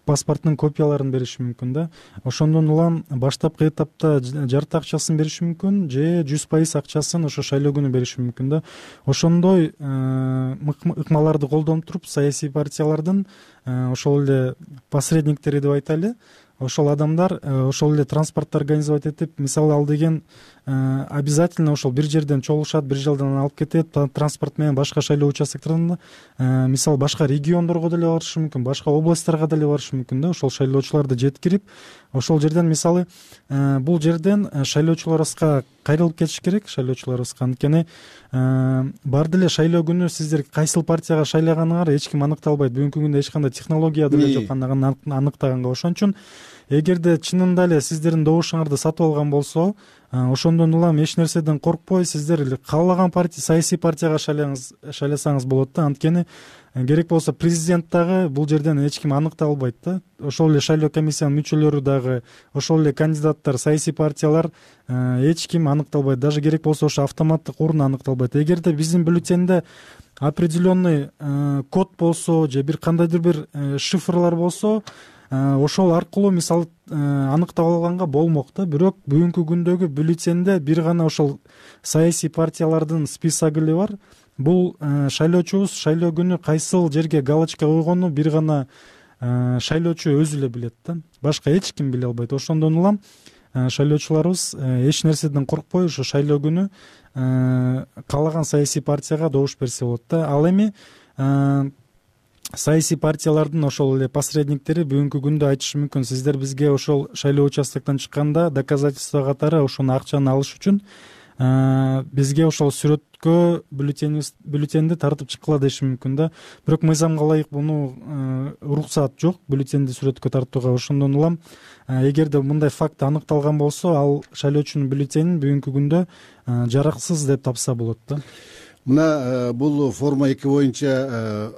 паспорттун копияларын бериши мүмкүн да. Ошондон улам баштапкы этапта жарты акчасын бериши мүмкүн, же 100% акчасын ошо шайлоо күнү бериши мүмкүн да. Ошондой ыкмаларды колдонуп туруп саясий партиялардын ошол эле посредниктери деп айтайлы, ошол адамдар ошол эле транспортто организовать этип, мисалы ал деген обязательно ошол бир жерден чогулушат, бир жерден алып кетет, транспорт менен башка шайлоо участоктарына, мисалы башка региондорго деле барышы мүмкүн, башка областтарга деле барышы мүмкүн да. Ошол шайлоочуларды жеткирип, ошол жерден мисалы бул жерден шайлоочуларыбызга кайрылып кетиш керек, шайлоочуларыбызга. Анткени бар деле шайлоо күнү сиздер кайсыл партияга шайлаганыңар эч ким аныктай албайт. Бүгүнкү күндө эч кандай технология деле жок аныктаганга. Ошон үчүн эгерде чынында эле сиздердин добушуңарды сатып алган болсо, ошондон улам эч нерседен коркпой сиздер каалаган саясий партияга шайласаңыз болот да. Анткени керек болсо президент дагы бул жерден эч ким аныктай албайт да. Ошол эле шайлоо комиссиянын мүчөлөрү дагы, ошол эле кандидаттар, саясий партиялар эч ким аныктай албайт. Даже керек болсо ошо автоматтык урун аныктай албайт. Эгерде биздин бюллетенде определенный код болсо, же бир кандайдыр бир шифрлар болсо, ошол аркылуу мисалы аныктап алганга болмок да. Бирок бүгүнкү күндөгү бюллетенде бир гана ошол саясий партиялардын списоги эле бар. Бул шайлоочубуз шайлоо күнү кайсыл жерге галочка койгону бир гана шайлоочу өзү эле билет да. Башка эч ким биле албайт. Ошондон улам шайлоочуларыбыз эч нерседен коркпой ошо шайлоо күнү каалаган саясий партияга добуш берсе болот да. Ал эми саясий партиялардын ошол эле посредниктери бүгүнкү күндө айтышы мүмкүн: сиздер бизге ошол шайлоо участоктон чыкканда доказательство катары ошону акчаны алыш үчүн бизге ошол сүрөткө бюллетенди тартып чыккыла деши мүмкүн да. Бирок мыйзамга ылайык муну уруксаат жок бюллетенди сүрөткө тартууга. Ошондон улам эгерде мындай факт аныкталган болсо, ал шайлоочунун бюллетенин бүгүнкү күндө жараксыз деп тапса болот да. Мына бул форма 2 боюнча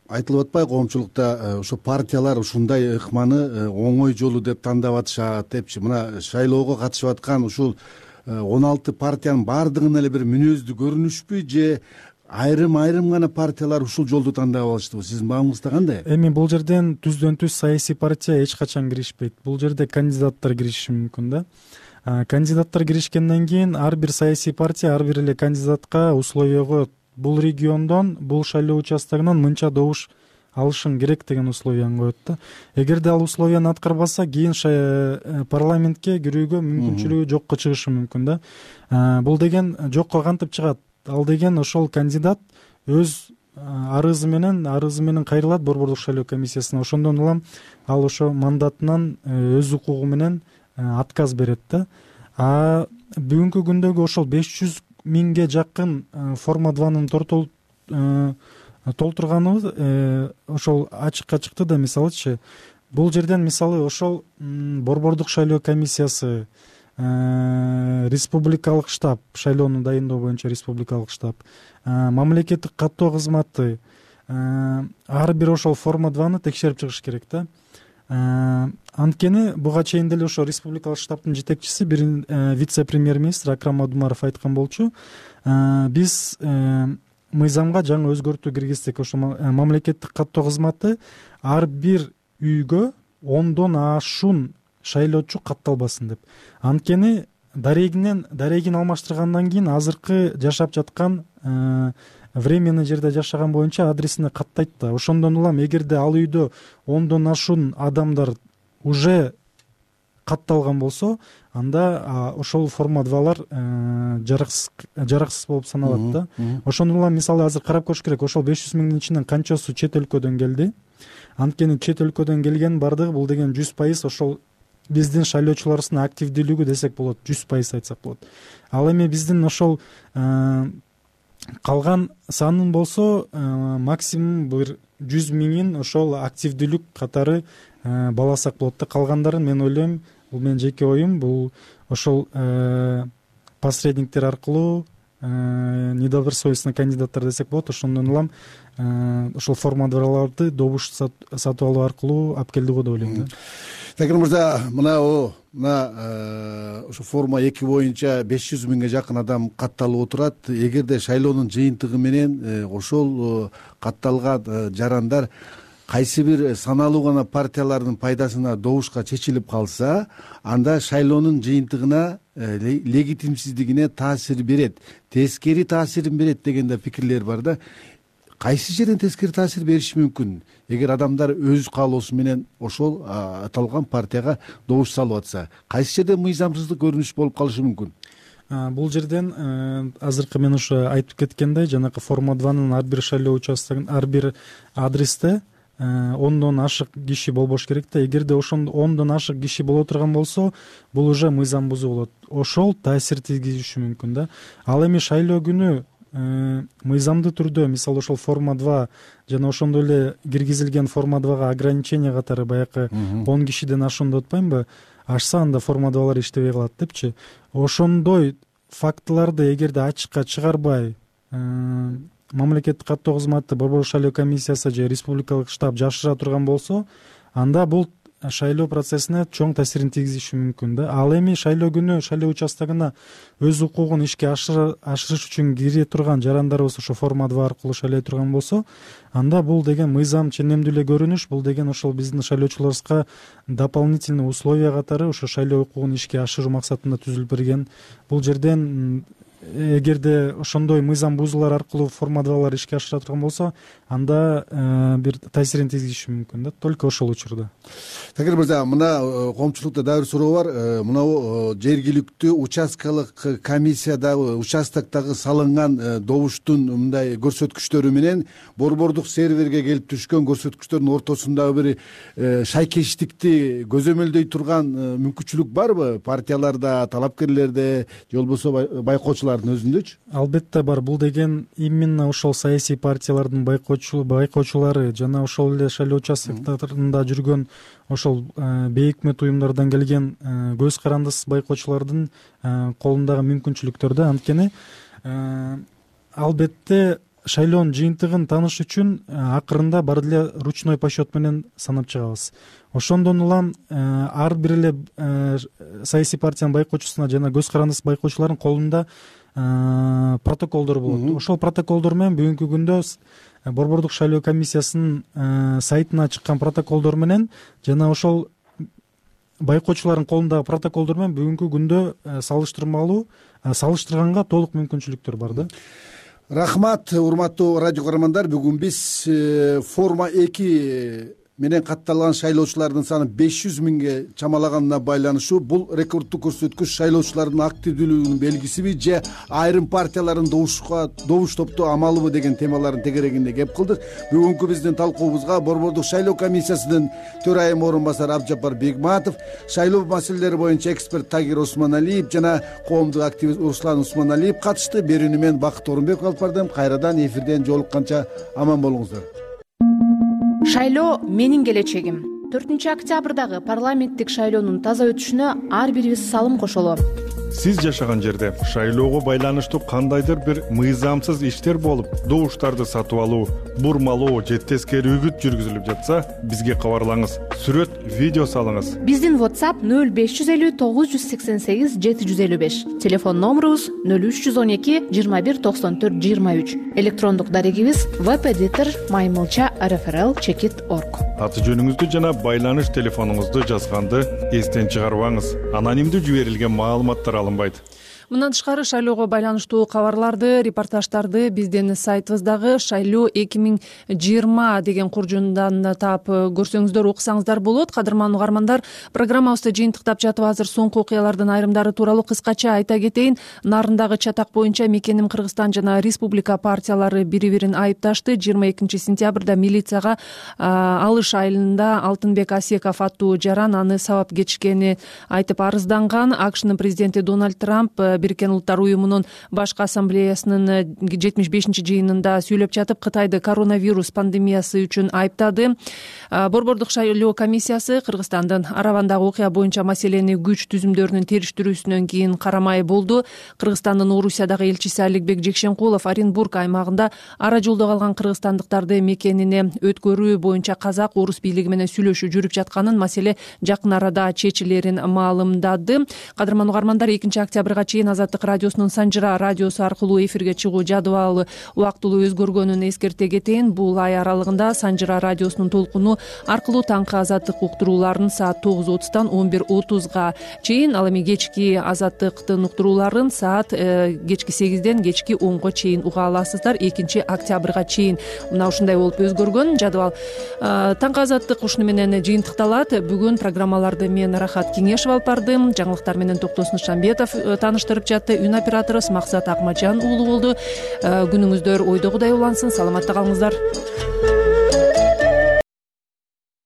айтылып атпайбы коомчулукта ошо партиялар ушундай ыкманы оңой жолу деп тандап атышат депчи. Мына шайлоого катышып аткан ушул 16 партиянын баардыгына эле бир мүнөздүү көрүнүшпү, же айрым гана партиялар ушул жолду тандап алыштыбы? Сиздин баамыңызда кандай? Эми бул жерден түздөн түз саясий партия эч качан киришпейт. Бул жерде кандидаттар кириши мүмкүн да. Кандидаттар киришкенден кийин ар бир саясий партия ар бир эле кандидатка условиего бул региондон, бул шайлоо участогунан мынча добуш алышың керек деген условияны коет да. Эгерде ал условияны аткарбаса, кийин парламентке кирүүгө мүмкүнчүлүгү жокко чыгышы мүмкүн да. Бул деген жокко кантип чыгат? Ал деген ошол кандидат өз арызы менен кайрылат Борбордук шайлоо комиссиясына. Ошондон улам ал ошо мандатынан өз укугу менен отказ берет да. Бүгүнкү күндөгү ошол 500 миңге жакын форма 2-нын толтурганыбыз ошол ачыкка чыкты да. Мисалычы, бул жерден мисалы ошол Борбордук шайлоо комиссиясы, республикалык штаб, шайлоону дайындоо боюнча республикалык штаб, мамлекеттик каттоо кызматы ар бир ошол форма 2-ны текшерип чыгыш керек да. Анткени буга чейин деле ошо республикалык штабтын жетекчиси бир вице-премьер-министр Акрам Адумаров айткан болчу: биз мыйзамга жаңы өзгөртүү киргиздик. Ошо мамлекеттик каттоо кызматы ар бир үйгө 10дон ашуун шайлоочу катталбасын деп. Анткени дарегин алмаштыргандан кийин азыркы жашап жаткан временный жерде жашаган боюнча адресине каттайт да. Ошондон улам эгерде ал үйдө 10дон ашуун адамдар уже катталган болсо, анда ошол форма 2-лар жараксыз болуп саналат да. Ошондон улам мисалы азыр карап көрүш керек, ошол 500 миңдин ичинен канчасы чет өлкөдөн келди. Анткени чет өлкөдөн келген бардыгы бул деген 100% ошол биздин шайлоочуларыбыздын активдүүлүгү десек болот, 100% айтсак болот. Ал эми биздин ошол калган санын болсо максимум бир 100 миңин ошол активдүүлүк катары баласак болот да. Калгандарын мен ойлойм, бул менин жеке оюм, бул ошол посредниктер аркылуу недобросовестный кандидаттар десек болот, ошондон улам ошол формадарларды добуш сатып алуу аркылуу алып келди го деп ойлойм да. Такир мырза, мына ошо форма 2 боюнча 500 миңге жакын адам катталып отурат. Эгерде шайлоонун жыйынтыгы менен ошол катталган жарандар кайсы бир саналуу гана партиялардын пайдасына добушка чечилип калса, анда шайлоонун жыйынтыгына легитимсиздигине таасир берет, тескери таасирин берет деген да пикирлер бар да. Кайсы жерден тескери таасир бериши мүмкүн? Эгер адамдар өз каалоосу менен ошол аталган партияга добуш салып атса, кайсы жерде мыйзамсыздык көрүнүш болуп калышы мүмкүн? Бул жерден азыркы мен ошо айтып кеткендей, жанакы форма 2нын ар бир шайлоо участогун, ар бир адресте 10дон ашык киши болбош керек да. Эгерде ошондо 10дон ашык киши боло турган болсо, бул уже мыйзам бузуу болот. Ошол таасир тийгизиши мүмкүн да. Ал эми шайлоо күнү мыйзамдуу түрдө, мисалы ошол форма 2 жана ошондой эле киргизилген форма 2га ограничение катары баягы 10 кишиден ашуунду атпаймынбы, ашса анда форма 2лар иштебей калат депчи. Ошондой фактыларды эгерде ачыкка чыгарбай, мамлекеттик каттоо кызматы, Борбордук шайлоо комиссиясы же республикалык штаб жашыра турган болсо, анда бул шайлоо процессине чоң таасирин тийгизиши мүмкүн да. Ал эми шайлоо күнү шайлоо участогуна өз укугун ишке ашырыш үчүн кире турган жарандарыбыз ошо форма 2 аркылуу шайлай турган болсо, анда бул деген мыйзам ченемдүү эле көрүнүш, бул деген ошол биздин шайлоочуларыбызга дополнительный условия катары ошо шайлоо укугун ишке ашыруу максатында түзүлүп берген. Бул жерден эгерде ошондой мыйзам бузуулар аркылуу форма 2лар ишке ашыра турган болсо, анда бир таасирин тийгизиши мүмкүн да, только ошол учурда. Такир мырза, мына коомчулукта дагы бир суроо бар. Мына жергиликтүү участкалык комиссиядагы участоктогу салынган добуштун мындай көрсөткүчтөрү менен борбордук серверге келип түшкөн көрсөткүчтөрдүн ортосундагы бир шайкештикти көзөмөлдөй турган мүмкүнчүлүк барбы? Партияларда, талапкерлерде же болбосо байкоочулар өзүндөчү? Албетте бар. Бул деген именно ошол саясий партиялардын байкоочулары жана ошол эле шайлоо участоктарында жүргөн ошол бейөкмөт уюмдардан келген көз карандысыз байкоочулардын колундагы мүмкүнчүлүктөр да. Анткени албетте шайлоонун жыйынтыгын тааныш үчүн акырында баары эле ручной подсчет менен санап чыгабыз. Ошондон улам ар бир эле саясий партиянын байкоочусуна жана көз карандысыз байкоочулардын колунда протоколдор болот. Ошол протоколдор менен бүгүнкү күндө Борбордук шайлоо комиссиясынын сайтына чыккан протоколдор менен жана ошол байкоочулардын колундагы протоколдор менен бүгүнкү күндө салыштырганга толук мүмкүнчүлүктөр бар да. Рахмат, урматтуу радио көрөрмандар. Бүгүн биз форма 2 менен катталган шайлоочулардын саны 500 миңге чамалаганына байланыштуу бул рекорддук көрсөткүч шайлоочулардын активдүүлүгүнүн белгисиби же айрым партиялардын добуш топтоо амалыбы деген темалардын тегерегинде кеп кылдык. Бүгүнкү биздин талкуубузга Борбордук шайлоо комиссиясынын төрайым орун басары Абдыжаппар Бегматов, шайлоо маселелери боюнча эксперт Тагир Осмоналиев жана коомдук активист Руслан Усмоналиев катышты. Берүүнү мен Бакыт Орунбеков алып бардым. Кайрадан эфирден жолукканча аман болуңуздар. Шайлоо менин келечегим. 4-октябрдагы парламенттик шайлоонун таза өтүшүнө ар бирибиз салым кошолу. Сиз жашаган жерде шайлоого байланыштуу кандайдыр бир мыйзамсыз иштер болуп, добуштарды сатып алуу, бурмалоо же тескери үгүт жүргүзүлүп жатса, бизге кабарлаңыз. Сүрөт, видео салыңыз. Биздин WhatsApp 0550 988 755. Телефон номерубуз 0312 21 94 23. Электрондук дарегибиз webeditor@maymilcha.rfrl.org. Аты жөнүңүздү жана байланыш телефонуңузду жазганды эстен чыгарбаңыз. Анонимдүү жиберилген маалыматтар алынбайт. Мындан тышкары шайлоого байланыштуу кабарларды, репортаждарды биздин сайтыбыздагы шайлоо 2020 деген куржундан таап көрсөңүздөр, окусаңыздар болот. Кадырман угармандар, программабызды жыйынтыктап жатып азыр соңку окуялардын айрымдары тууралуу кыскача айта кетейин. Нарындагы чатак боюнча Мекеним Кыргызстан жана Республика партиялары бири-бирин айыпташты. 22 сентябрда милицияга Алыш айылында Алтынбек Асеков аттуу жаран аны сабап кетишкени айтып арызданган. АКШнын президенти Дональд Трамп Бириккен Улуттар уюмунун башкы ассамблеясынын 75-жыйынында сүйлөп жатып, Кытайды коронавирус пандемиясы үчүн айыптады. Борбордук шайлоо комиссиясы Кыргызстандын Аравандагы окуя боюнча маселени күч түзүмдөрүнүн териштирүүсүнөн кийин карамай болду. Кыргызстандын Орусиядагы элчиси Аликбек Жекшенкулов Оренбург аймагында ара жолдо калган кыргызстандыктарды мекенине өткөрүү боюнча казак орус бийлиги менен сүйлөшүү жүрүп жатканын, маселе жакын арада чечилерин маалымдады. Кадырман угармандар, 2 октябрга чейин Азаттык радиосунун Санжыра радиосу аркылуу эфирге чыгуу жадыбалы убактылуу өзгөргөнүн эскерте кетейин. Бул ай аралыгында Санжыра радиосунун толкуну аркылуу таңкы азаттык уктурууларын саат 9:30 11:30 чейин, ал эми кечки азаттыктын уктурууларын саат кечки 8 кечки 10 чейин уга аласыздар. 2 октябрга чейин мына ушундай болуп өзгөргөн жадыбал. Таңкы азаттык ушуну менен жыйынтыкталат. Бүгүн программаларды мен Рахат Кеңешов алып бардым. Жаңылыктар менен Токтосун Шамбетов тааныштырып жатты. Үн оператору Максат Акмажан уулу болду. Күнүңүздөр ойдогудай улансын. Саламатта калыңыздар.